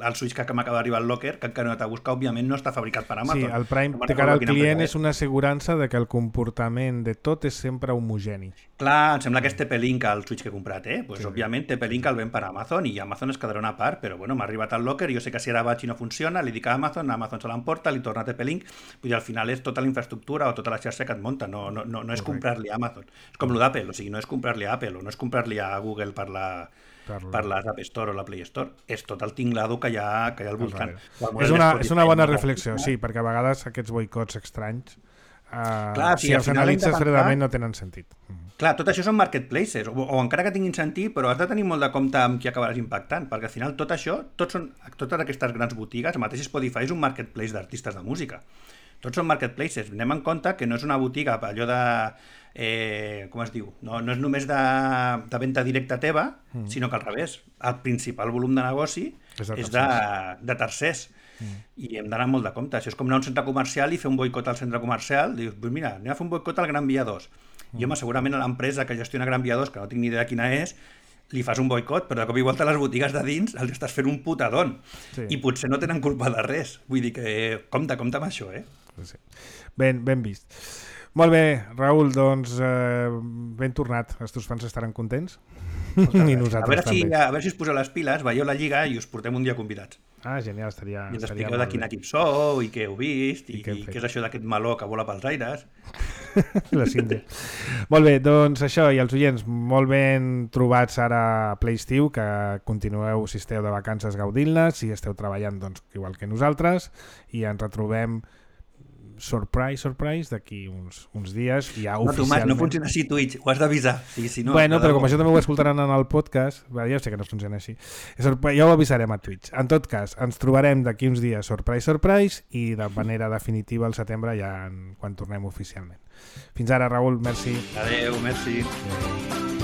el Switch que m'acaba d'arribar al Locker, que encara no t'ha buscat, òbviament no està fabricat per Amazon. Sí, el Prime de cara al client és una assegurança de que el comportament de tot és sempre homogeni. Clar, em sembla que és TP-Link el Switch que he comprat, pues sí. Òbviament TP-Link el ven per Amazon i Amazon es quedarà una part, però bueno, m'ha arribat al Locker i jo sé que si ara vaig i no funciona, li dic a Amazon se l'emporta, li torna a TP-Link, vull dir, al final és tota la infraestructura o tota la xarxa que et munta, no és comprar-li a Amazon. És com lo d'Apple, o sigui, no és comprar-li a Apple o no és comprar-li a Google per l'App Store o la Play Store, és tot el tinglado que hi ha al voltant. És una bona reflexió, sí, perquè a vegades aquests boicots estranys si els analitzes fredament no tenen sentit. Clar, tot això són marketplaces, o encara que tinguin sentit, però has de tenir molt de compte amb qui acabaràs impactant, perquè al final tot això, totes aquestes grans botigues, el mateix Spotify és un marketplace d'artistes de música. Tots són marketplaces. Anem en compte que no és una botiga allò de... com es diu? No és només de venda directa teva, sinó que al revés. El principal volum de negoci és de tercers. I hem d'anar molt de compte. Això és com anar a un centre comercial i fer un boicot al centre comercial. Dius, pues mira, anem a fer un boicot al Gran Via 2. I home, segurament a l'empresa que gestiona Gran Via 2, que no tinc ni idea quina és, li fas un boicot, però de cop i volta a les botigues de dins els estàs fent un putadón. Sí. I potser no tenen culpa de res. Vull dir que compte amb això, Sí. Ben vist. Molt bé, Raül, doncs ben tornat. Els teus fans estaran contents? I nosaltres també. A veure si us poseu les piles, veieu la Lliga i us portem un dia convidats. Ah, genial, estaria I ens expliqueu de quin equip sou i què heu vist i què és això d'aquest meló que vola pels aires. La Síndria. Molt bé, doncs això, i els oients, molt ben trobats ara a Ple Estiu, que continueu, si esteu de vacances, gaudint-les, si esteu treballant, doncs igual que nosaltres, i ens retrobem surprise, d'aquí uns dies ja oficialment. No funciona així Twitch, ho has d'avisar. Si no, bueno, però com això també ho escoltaran en el podcast, ja sé que no funciona així, ja ho avisarem a Twitch. En tot cas, ens trobarem d'aquí uns dies surprise, i de manera definitiva al setembre ja quan tornem oficialment. Fins ara, Raül, merci. Adéu, merci. Adéu.